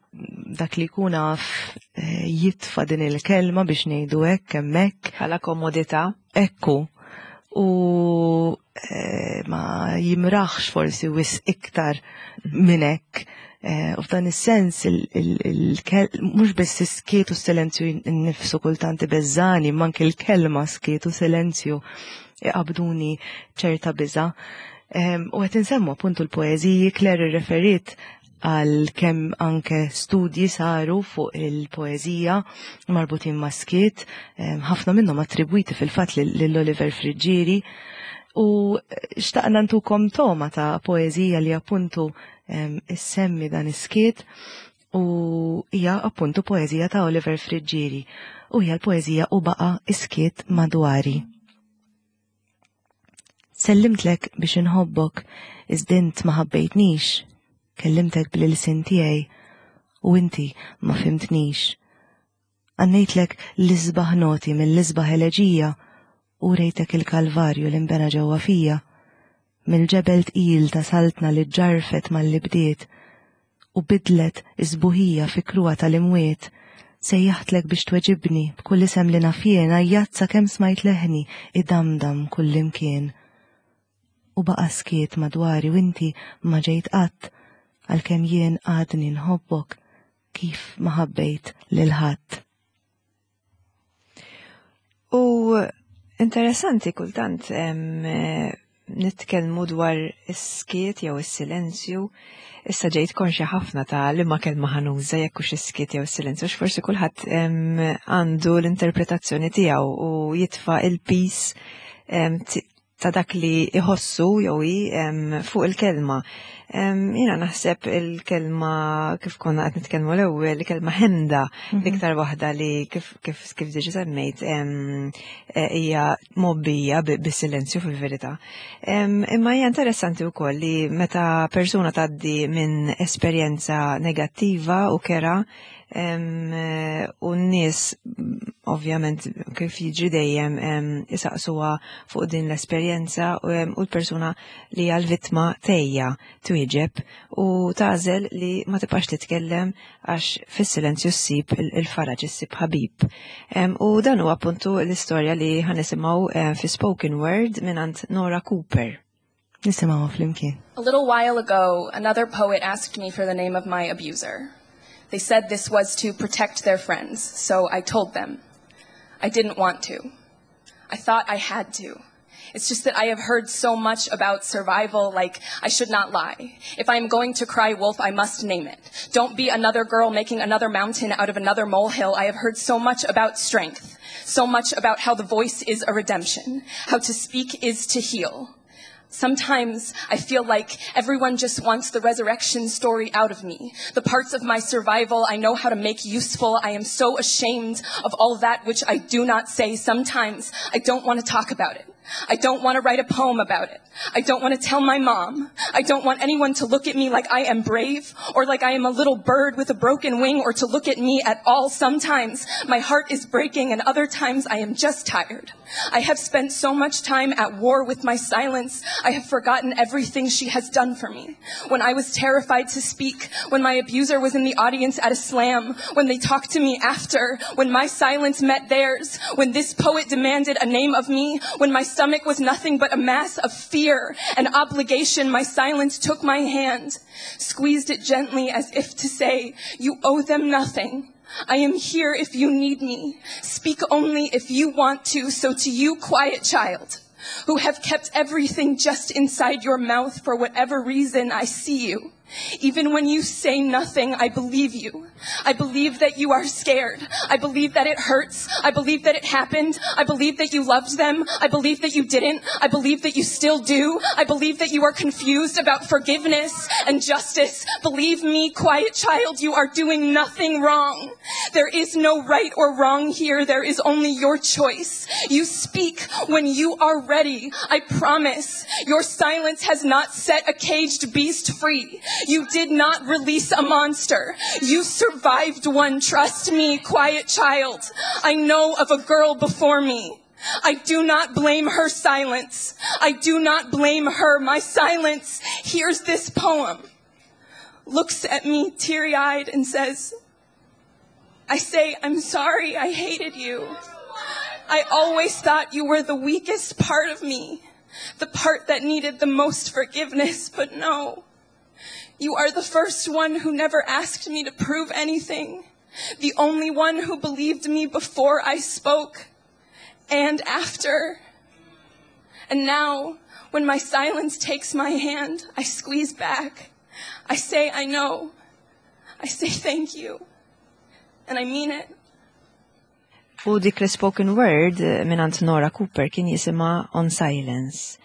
dak li jkun għaf eh, jitfa' din il-kelma biex ngħidu hekk hemmhekk. Bħala komodità. Ekku. U eh, ma jimraħx forsi wisq iktar minn hekk. Eh, u f'dan is-sens mhux biss is-skiet u s-silenzju nnifsu kultant ibeżżani, imma anke l-kelma skiet u silenzju iqabduni ċerta biża. U qed insemmu appuntu l-poeżiji, Claire irreferiet għal kemm anke studji saru fuq il-poeżija marbutin ma' skiet, ħafna minnhom attribwiti fil-fatt lil Oliver Friggieri. U xtaqna ntukom togħma ta' poeżija li appuntu issemmi dan is-skiet u hija appuntu poeżija ta' Oliver Friggieri u hija l-poeżija U baqa' is-skiet madwari. Sellimtlek biex inħobbok, iżda int ma ħabbejtnix, kellimtek bl-ilsien tiegħi u inti ma fhimtnix. Għannejtlek l-isbaħ noti mill-isbaħ eleġija u rejtek il-kalvarju li nbena ġewwa fija, mill-ġebel tqil ta' saltna li ġarfet malli bdiet u bidlet is-sbuħija fi kruha tal-imwiet, sejjaħtlek biex tweġibni b'kull isem li naf jien għajjatt sakemm smajt leħni idamdam kullimkien. U baqa' skiet madwari u inti ma ġejt qatt għalkemm jien għadni nħobbok kif ma ħabbejt lil ħadd. U interessanti kultant em, eh, nitkellmu dwar is-skiet jew is-silenzju. Issa ġejt konxja ħafna ta' li ma kelma ħa nuża jekk hux is-skiet jew is-silenzju, għax forsi kulħadd em, għandu l-interpretazzjoni tiegħu u jitfa' il-piż em, t- ta' dak li iħossu jew hi em, fuq il-kelma. Em, Jiena naħseb il-kelma kif konna qed nitkellmu l-ewwel, il-kelma ħemda, l-iktar waħda li kif kif kif diġà semmejt em, eh, hija mgħobbija bi- bis-silenzju fil-verità. Em, Imma hija interessanti wkoll li meta persuna tgħaddi minn esperjenza negattiva u kerha em, eh, u n-nies mm, ovvjament kif jiġri dejjem em, isaqsuha fuq din l-esperjenza u em, u l-persuna li hija l-vittma tgħejja twieġeb u tagħżel li ma tibqax titkellem għax fis-silenzju ssib il- il-faraġ, issib ħabib. Em, U dan huwa appuntu l-istorja li ħa nisimgħu eh, fi spoken word mingħand Nora Cooper. Nisimgħu flimkien. A little while ago, another poet asked me for the name of my abuser. They said this was to protect their friends, so I told them. I didn't want to. I thought I had to. It's just that I have heard so much about survival, like I should not lie. If I am going to cry wolf, I must name it. Don't be another girl making another mountain out of another molehill. I have heard so much about strength, so much about how the voice is a redemption, how to speak is to heal. Sometimes I feel like everyone just wants the resurrection story out of me. The parts of my survival I know how to make useful. I am so ashamed of all that which I do not say. Sometimes I don't want to talk about it. I don't want to write a poem about it. I don't want to tell my mom. I don't want anyone to look at me like I am brave or like I am a little bird with a broken wing or to look at me at all. Sometimes my heart is breaking and other times I am just tired. I have spent so much time at war with my silence. I have forgotten everything she has done for me. When I was terrified to speak, when my abuser was in the audience at a slam, when they talked to me after, when my silence met theirs, when this poet demanded a name of me, when my stomach was nothing but a mass of fear and obligation, my silence took my hand, squeezed it gently as if to say, you owe them nothing. I am here if you need me. Speak only if you want to. So to you, quiet child, who have kept everything just inside your mouth for whatever reason, I see you. Even when you say nothing, I believe you. I believe that you are scared. I believe that it hurts. I believe that it happened. I believe that you loved them. I believe that you didn't. I believe that you still do. I believe that you are confused about forgiveness and justice. Believe me, quiet child, you are doing nothing wrong. There is no right or wrong here. There is only your choice. You speak when you are ready. I promise. Your silence has not set a caged beast free. You did not release a monster. You survived one. Trust me, quiet child. I know of a girl before me. I do not blame her silence. I do not blame her. My silence hears this poem, looks at me teary-eyed and says, I say, I'm sorry I hated you. I always thought you were the weakest part of me. The part that needed the most forgiveness, but no. You are the first one who never asked me to prove anything. The only one who believed me before I spoke and after. And now, when my silence takes my hand, I squeeze back. I say I know. I say thank you. And I mean it. U dik l-spoken word eh, mingħand Nora Cooper kien jisimha On Silence.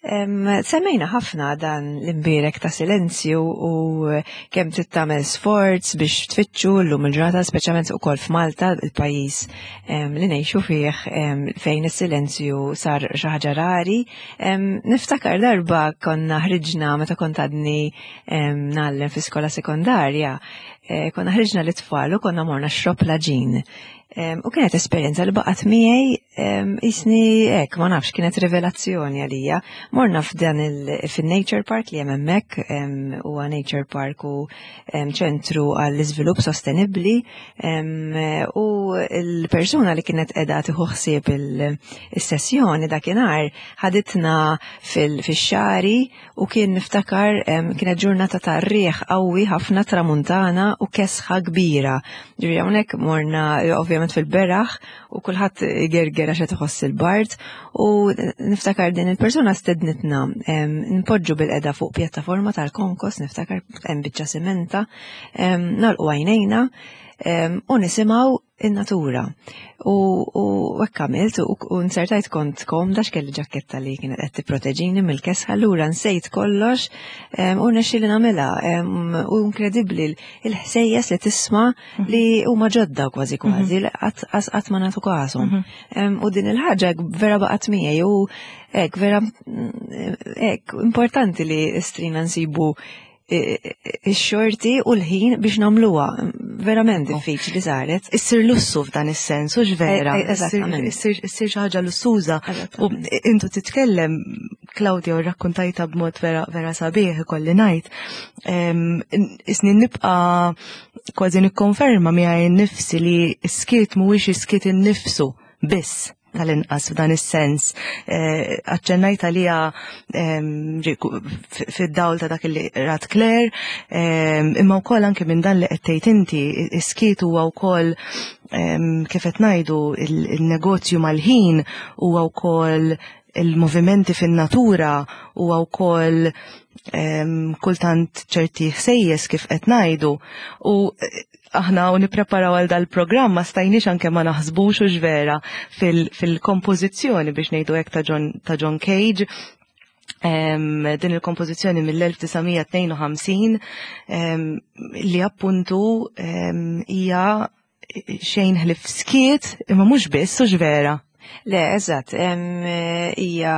Em, Semmejna ħafna dan l-imbirek ta' silenzju u kemm trid tagħmel sforz biex tfittxu llum il-ġurnata, speċjalment ukoll f'Malta, il-pajjiż em, li ngħixu fih em, fejn is-silenzju sar xi ħaġa rari. Em, Niftakar darba konna ħriġna meta kont għadni em, ngħallem fi skola sekondarja, eh, konna ħriġna l-itfal u konna morna Xrobb l-Għaġin. Em, U kienet esperjenza li baqgħet miegħi em, jisni hekk, ma nafx, kienet rivelazzjoni għalija. Morna f'dan il fin-Nature Park li hemm hemmhekk, em, huwa Nature Park u em, ċentru għall-iżvilupp sostenibbli em, u l-persuna li kienet qiegħda tieħu ħsieb il-sessjoni dakinhar ħaditna fil-xagħri u kien niftakar em, kienet ġurnata ta' riħ qawwi ħafna tramuntana u kesħa kbira. Ġifieri hawnhekk morna eh, ovvjament fil-beraħ u kulħadd gerger għax qed iħoss il-bard u niftakar din il-persuna stednitna em, npoġġu bilqiegħda fuq pjattaforma tal-konkos, niftakar hemm biċċa simenta, em, nagħlqu għajnejna em, u nisimgħu in-natura. U u hekk għamilt u u nsertajt kont komda x'kelli ġaketta li kienet qed tipproteġini mill-kesħa allura nsejt kollox em, u nexxieli nagħmilha em, u inkredibbli il-ħsejjes li tisma' li huma ġodda kważi kważi li qatt qatt ma nagħtu kashom. Em, U din il-ħaġa vera baqgħet miegħi u hekk vera mm, hekk importanti li strina nsibu ix-xorti u l-ħin biex nagħmluha. Verament diffiċli saret. Issir lussu f'dan is-sens, u vera. Eh, eh, eżattament. Issir issir xi ħaġa lussuża. U intu titkellem, Claudia, u rakkontajta b'mod vera, vera sabiħ ikolli ngħid. Em, Isni nibqa' kważi nikkonferma miegħi nnifsi li s-skiet mhuwiex is-skiet innifsu biss tal-inqas f'dan is-sens. Eh, Aċċennajt għalija em, ġi- f- fid-dawl ta' dak li rat Claire, em, imma wkoll anke minn dan li qed tgħid inti, is-skiet huwa wkoll em, kif qed ngħidu il- il-negozju mal-ħin huwa wkoll il-movimenti fin-natura huwa wkoll em, kultant ċerti ħsejjes kif qed ngħidu u eh, aħna u nippreparaw għal dal-programm ma stajniex anke ma naħsbux u vera fil-kompożizzjoni biex ngħidu hekk ta' John, ta' John Cage. Em, din il-kompożizzjoni mill-elf disa' mija tnejn u ħamsin em, li appuntu em, hija xejn ħlief skiet imma mhux biss u vera. Le, eżatt, em, hija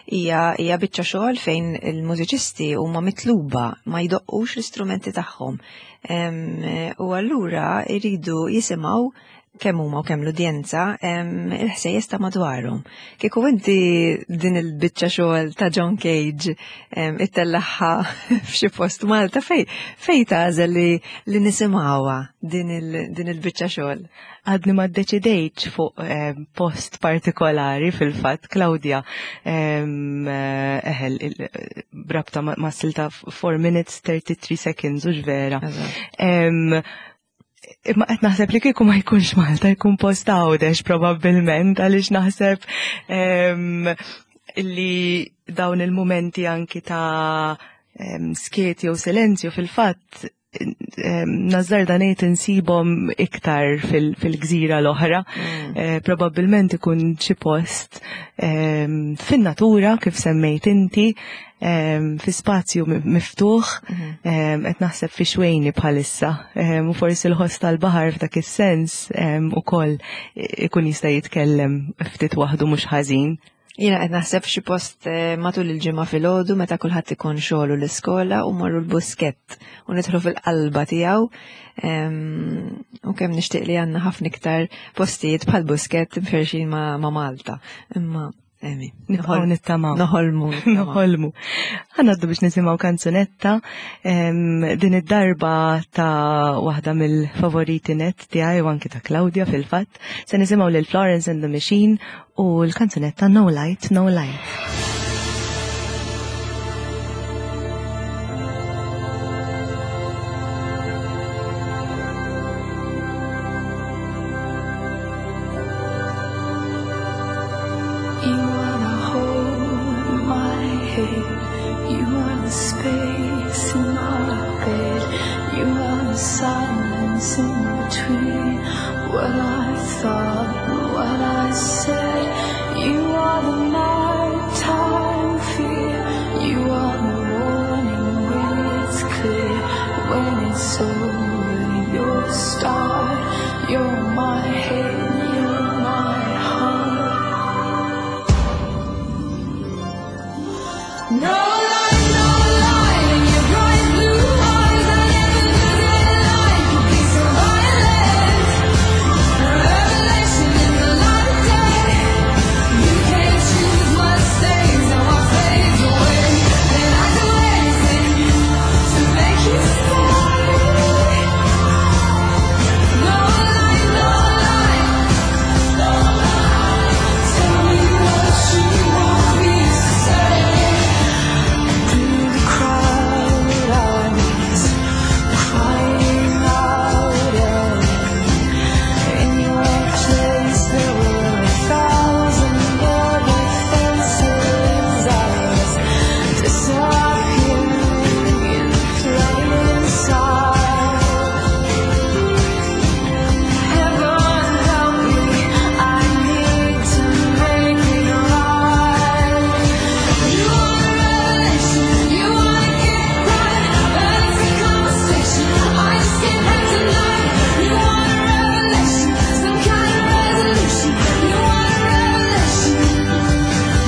hija hija biċċa xogħol fejn il-mużiċisti huma mitluba ma jdoqqux l-istrumenti tagħhom. Em, U allura jridu jisimgħu kemm huma u kemm l-udjenza em, il-ħsejjes ta' madwarhom. Kieku inti din il-biċċa xogħol ta' John Cage em, ittellagħha f'xi post Malta fej fej tagħżel li, li nisimgħuha din il- din il-biċċa xogħol. Għadni ma ddeċidejtx fuq eh, post partikolari fil-fatt, Claudia, em, eh, eħel, il- brabta ma, ma silta four minutes thirty-three seconds, u vera. Em, Imma qed naħseb li kieku ma jkunx Malta jkun post Għawdex probabbilment għaliex naħseb em, li dawn il-momenti anki ta' em, skiet jew silenzju fil-fatt em, nażżarda ngħid insibhom iktar fil- fil-gżira l-oħra. Eh, Probabbilment ikun xi post em, fin-natura kif semmejt inti, em, fi spazju mi- miftuħ, em, qed naħseb fi Xwejni bħalissa, em, u forsi l-ħoss tal-baħar f'dak is-sens em, ukoll ikun jista' jitkellem ftit waħdu mhux ħażin. Jiena qed naħseb xi post eh, matul il-ġimgħa filgħodu meta kulħadd ikun xogħlu l-iskola u morru l-Buskett u nidħlu fil-qalba tiegħu. Em, U kemm nixtieq li għandna ħafna iktar postijiet bħal Buskett mferxin ma' ma' Malta. Imma emi, Nibqgħu nittamaw. Noħolmu. nittamaw. Noħolmu. Ħa ngħaddu biex nisimgħu kanzunetta em, din id-darba ta' waħda mill-favoriti net tiegħi u anki ta' Claudia fil-fatt. Se nisimgħu lil Florence and the Machine u l-kanzunetta No Light, No Light. head. You are the space in my bed. You are the silence in between what I thought and what I said. You are the nighttime fear. You are the warning when it's clear. When it's over, you're the start. You're my head, you're my heart. No light, no light in your bright blue eyes. I never knew that light could be so violent. A revelation in the light of day. You can't choose what stays and what fades away. And I'd do anything to make you stay. No light, no light. Tell me what you want me to say. Through the crowded eyes, crying out, and in your place there were a thousand other faces. I was disappearing in plain sight. Heaven help me, I need to make it right. You want a revelation, you wanna get right, but it's a conversation I just can't have tonight. You want a revelation, some kind of resolution. You want a revelation.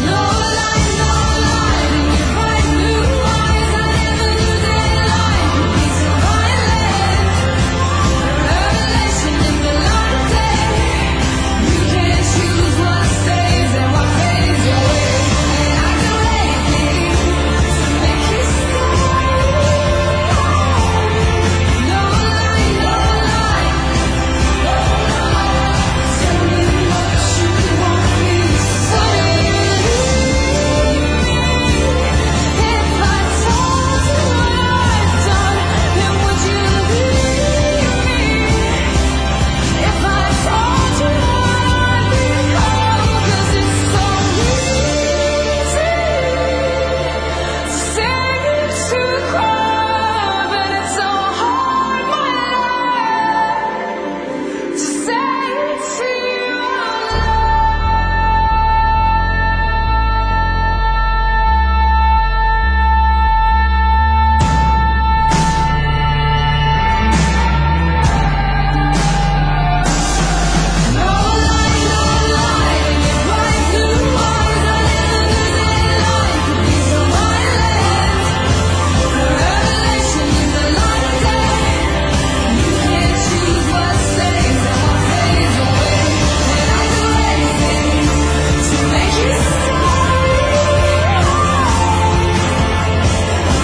No light, no light in your bright blue eyes. I never knew that light could be so violent. A revelation in the light of day. You can't choose what stays and what fades away. And I'd do anything to make you stay. No light, no light. Tell me what you want me to say. If I told you what I've done, then would you leave me? If I told you what I've become, 'cause it's so easy to say it to a crowd, but it's so hard, my love, to say it to you out loud. No light, no light in your bright blue eyes. I never knew that light could be so violent. A revelation in the light of day. You can't choose what stays and what fades away. And I'd do anything to make you stay.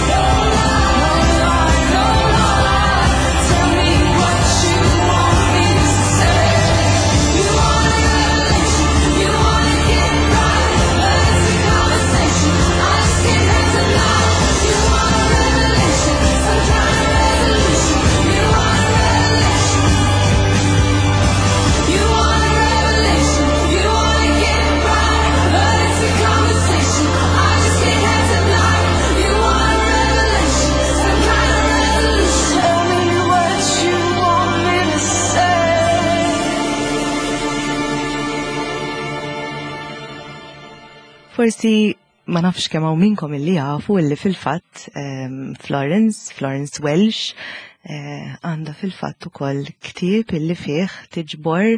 No lie, no lie. Tell me what you want me to say. You want a revelation, you wanna get right, but it's a conversation I just can't have tonight. You want a revelation, some kind of resolution. You want a revelation. You want a revelation, you wanna get right, but it's a conversation I just can't have tonight. You want a revelation, some kind of resolution. Tell me what you want me to say. Forsi ma nafx kemm hawn minnkom illi jafu illi fil-fatt ehm, Florence, Florence Welch, eh, għandha fil-fatt ukoll ktieb illi fih tiġbor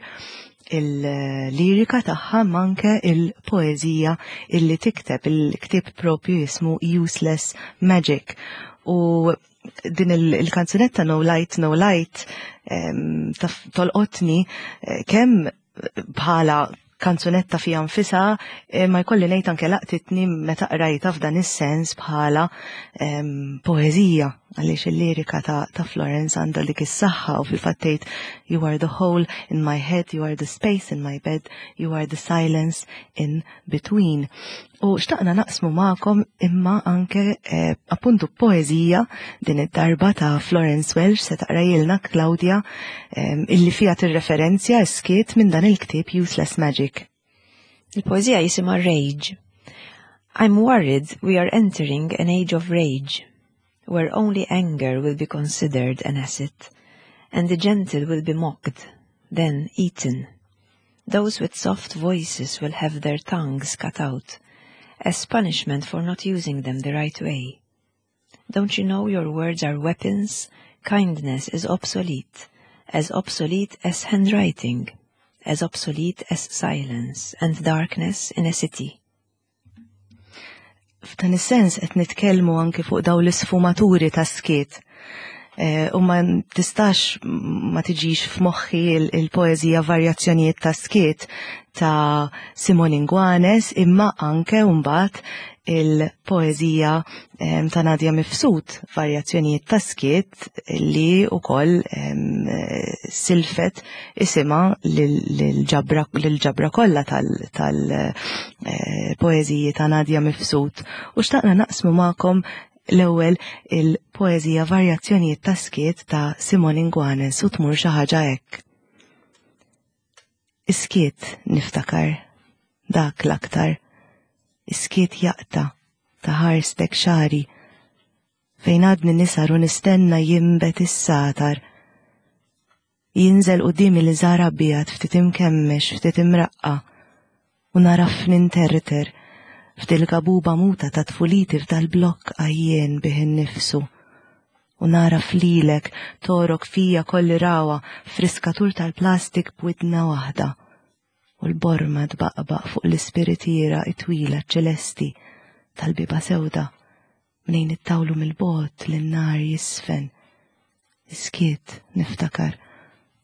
il-lirika tagħha manke il-poeżija illi tikteb. Il-ktieb propju jismu Useless Magic. U din il- il-kanzunetta No Light, No Light ehm, taf- tolqotni eh, kemm bħala kanzunetta fija nfisha, eh, ma jkolli ngħid anke laqtitni meta qrajta f'dan is-sens bħala em, poeżija għaliex il-lirika ta', ta' Florence għandha dik is-saħħa u fil-fatt tgħid you are the hole in my head, you are the space in my bed, you are the silence in between. U xtaqna naqsmu magħkom imma anke eh, appuntu poeżija din id-darba ta' Florence Welch se taqrajilna Claudia em, illi fija tirreferenzja skiet minn dan il-ktieb Useless Magic. Il-poeżija jisimha Rage. I'm worried we are entering an age of rage, where only anger will be considered an asset, and the gentle will be mocked, then eaten. Those with soft voices will have their tongues cut out, as punishment for not using them the right way. Don't you know your words are weapons? Kindness is obsolete, as obsolete as handwriting, as obsolete as silence and darkness in a city. F'dan is-sens qed nitkellmu anke fuq dawn l-isfumaturi ta' skiet. Eh, u ma tistax ma tiġix f'moħħi il-poeżija Varjazzjonijiet ta' Skiet ta' Simone Inguanes, imma anke mbagħad il-poeżija ta' Nadia Mifsud, Varjazzjonijiet ta' Skiet, li wkoll silfet isimha lil-ġabra kollha tal-poeżiji eh, ta' Nadia Mifsud. U xtaqna naqsmu magħkom l-ewwel il-poeżija Varjazzjonijiet ta' Skiet ta' Simone Inguanes, u tmur xi ħaġa hekk. Iskiet niftakar, dak l-aktar, iskiet jaqta' ta' ħarstek xari, fejn għadni nisar u nistenna jimbet is-satar. Jinżel qudiemi li żar abjad ftit imkemmex, ftit imraqqa, u naraf ninterter f'dil-gabuba muta ta' tfuliti f'dal-blokk għajjien bih innifsu. U naraf lilek torok fija kolli rawa friskatur tal-plastik b'widna waħda. U l-borma tbaqbaq fuq l-ispiritiera it-twila ċelesti tal-biba sewda mnejn it-tawlu mill-bot l-nar jisfen. Iskiet niftakar.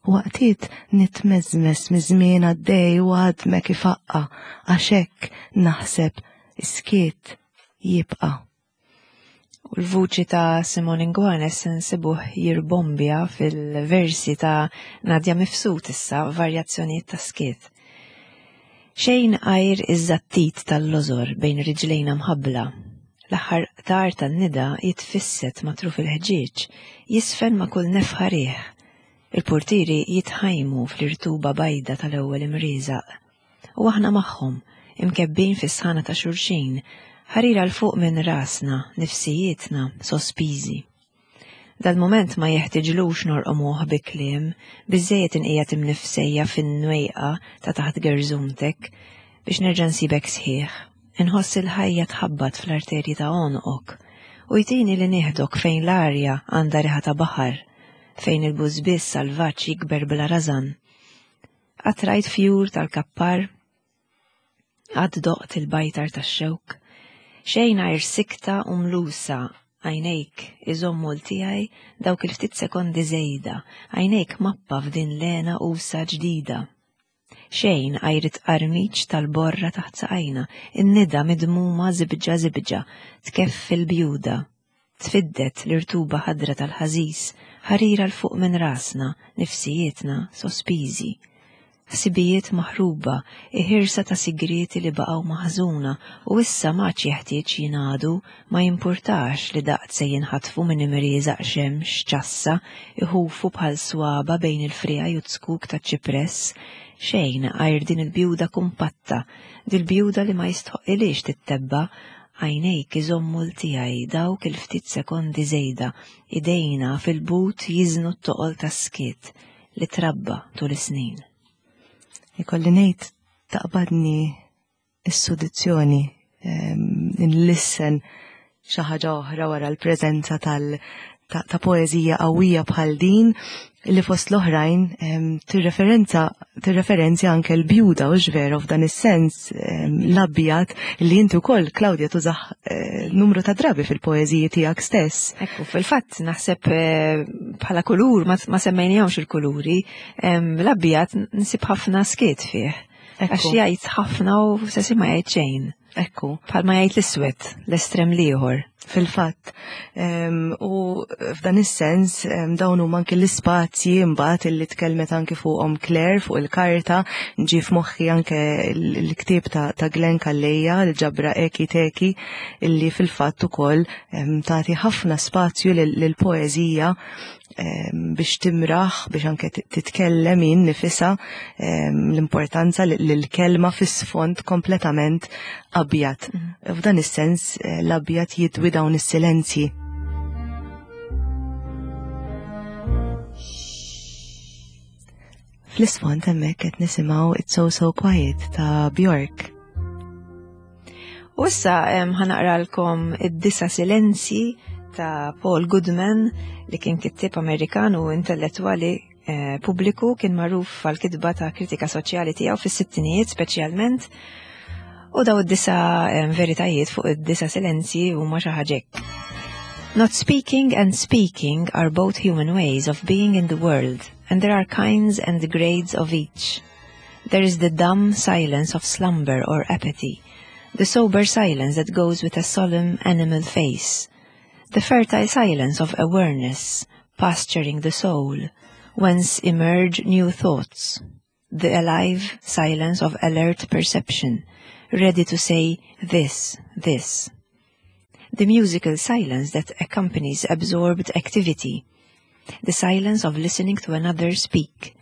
U waqtiet nitmeżmes miż-żmien għaddej u għadmek ifaqqa għax hekk naħseb iskiet jibqa'. U l-vuċi ta' Simone Inguanes nsibuh jirbombja fil-versi ta' Nadia Mifsud issa, Varjazzjonijiet ta' Skiet. Xejn għajr iż-żattit tal-lożor bejn riġlejna mħabbla. L-aħħar qtar tan-nida jitfisset ma' truf il-ħġieġ, jisfen ma' kull nefħa riħ. Il-portieri jitħajmu fl-irtuba bajda tal-ewwel imrieżaq. U aħna magħhom, imkebbin fis-sħana ta' xulxin, ħarira 'l fuq minn rasna, nifsijietna, sospiżi. Dal-moment ma jeħtiġlux norqomuh bi kliem, biżejjed inqiegħed imnifsejja fin-nwejqa ta' taħt gerżumtek biex nerġa' nsibek sħiħ. Inħoss il-ħajja tħabbat fl-arterji ta' għonqok u jtini li nieħdok fejn l-arja għandha riħa ta' baħar, fejn il-bużbiss salvaġġ jikber bla rażan. Qatt rajt fjur tal-kappar, qatt doqt il-bajtar tax-xewk, xejn għajr sikta u mlusa, għajnejk iżommu l-tiegħi dawk il-ftit sekondi żejda, għajnejk mappa f'din l-għena usa ġdida. Xejn għajr it-qarmiċ tal-borra taħt saqajna, in-nida midmuma zibġa zibġa, tkeffi l-bjuda, tfiddet l-irtuba ħadra tal-ħażis, ħarira 'l fuq minn rasna, nifsijietna sospiżi. Ħsibijiet maħruba, iħirsa ta' sigrieti li baqgħu maħżuna u issa m'għadx jeħtieġ jingħadu, ma jimpurtax li daqt se jinħatfu minn imrieżaq xemx ċassa iħufu bħal swaba bejn il-friegħi u t-skuk ta' ċipress, xejn għajr din il-bjuda kumpatta, dil-bjuda li ma jistħoqilix tittebba, għajnejk iżommu l-tiegħi dawk il-ftit sekondi żejda, idejna fil-but jiżnu t-toqol tas-skiet li trabba tul is-snin. Ikolli ngħid taqbadni s-sudizzjoni nlissen xi ħaġa oħra wara l-preżenza tal ta', ta poeżija qawwija bħal din li fost l-oħrajn tirreferenza tirreferenzja anke l-bjuda u x'vero f'dan is-sens l-abjad li inti wkoll Claudia tużah eh, numru ta' drabi fil-poeżiji tiegħek stess. Ekku, fil-fatt naħseb eh, bħala kulur ma, ma semmejnihomx il-kuluri, l-abjad nsib ħafna skiet fih. Għax jgħid ħafna u sessi ma jgħid xejn. Ekku. Bħalma jgħid l-iswed, l-estrem l-ieħor. Fil-fatt. U f'dan is-sens dawn huma anke l-ispazji mbagħad illi tkellmet anke fuqhom Claire fuq il-karta, ġie f'moħħi anke l-ktieb ta', ta' Glenn Calleja, l-ġabra Eki Teki, illi fil-fatt ukoll tagħti ħafna spazju lill-poeżija biex timraħ, biex anke titkellem hi nnifisha, l-importanza l-kelma fis-sfond kompletament abjad. Mm. F'dan is-sens eh, l-abjad jidwi dawn is-silenzji. Fl-isfond hemmhekk qed nisimgħu It's So So Quiet ta' Bjork. U issa ħa naqralkom id-disa silenzji ta' Paul Goodman li kien kittib Amerikan u intellettwali eh, pubbliku kien magħruf għal kitba ta' kritika soċjali tiegħu fis-sittinijiet speċjalment. U daw id-disa veritajiet fuq id-disa silenzji huma xi ħaġa hekk. Not speaking and speaking are both human ways of being in the world, and there are kinds and grades of each. There is the dumb silence of slumber or apathy, the sober silence that goes with a solemn animal face, the fertile silence of awareness, pasturing the soul, whence emerge new thoughts, the alive silence of alert perception, ready to say this, this. The musical silence that accompanies absorbed activity, the silence of listening to another speak,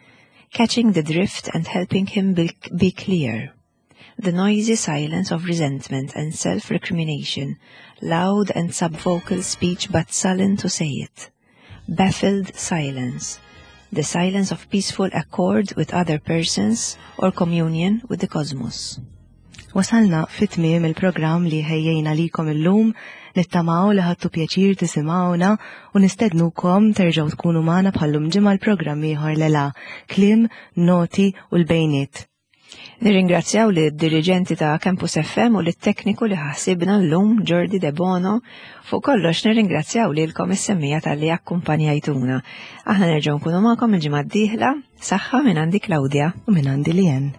catching the drift and helping him be, be clear, the noisy silence of resentment and self-recrimination, loud and subvocal speech but sullen to say it, baffled silence, the silence of peaceful accord with other persons or communion with the cosmos. Wasalna fit-tmiem il-programm li ħejjejna likom illum, nittamaw li ħadtu pjaċir tisimgħuna u nistednukom terġgħu tkunu magħna bħallum ġimgħa l-programm ieħor lela, kliem, noti u l-bejniet. Nirringrazzjaw li d-dirigenti ta' Campus F M u lit-tekniku li ħasibna l-lum Jordi De Bono. Fuq kollox nirringrazzjaw lilkom is-semmiegħa talli akkumpanjajtuna. Aħna nerġgħu nkunu magħkom il-ġimgħa d-dieħla, saħħa minn għandi Claudia. U minn għandi Lien.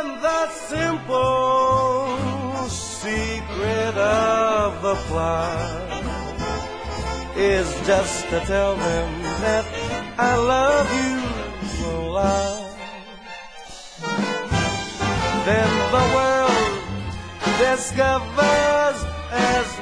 And the simple secret of the plot is just to tell them that I love you a lot. Then the world discovers as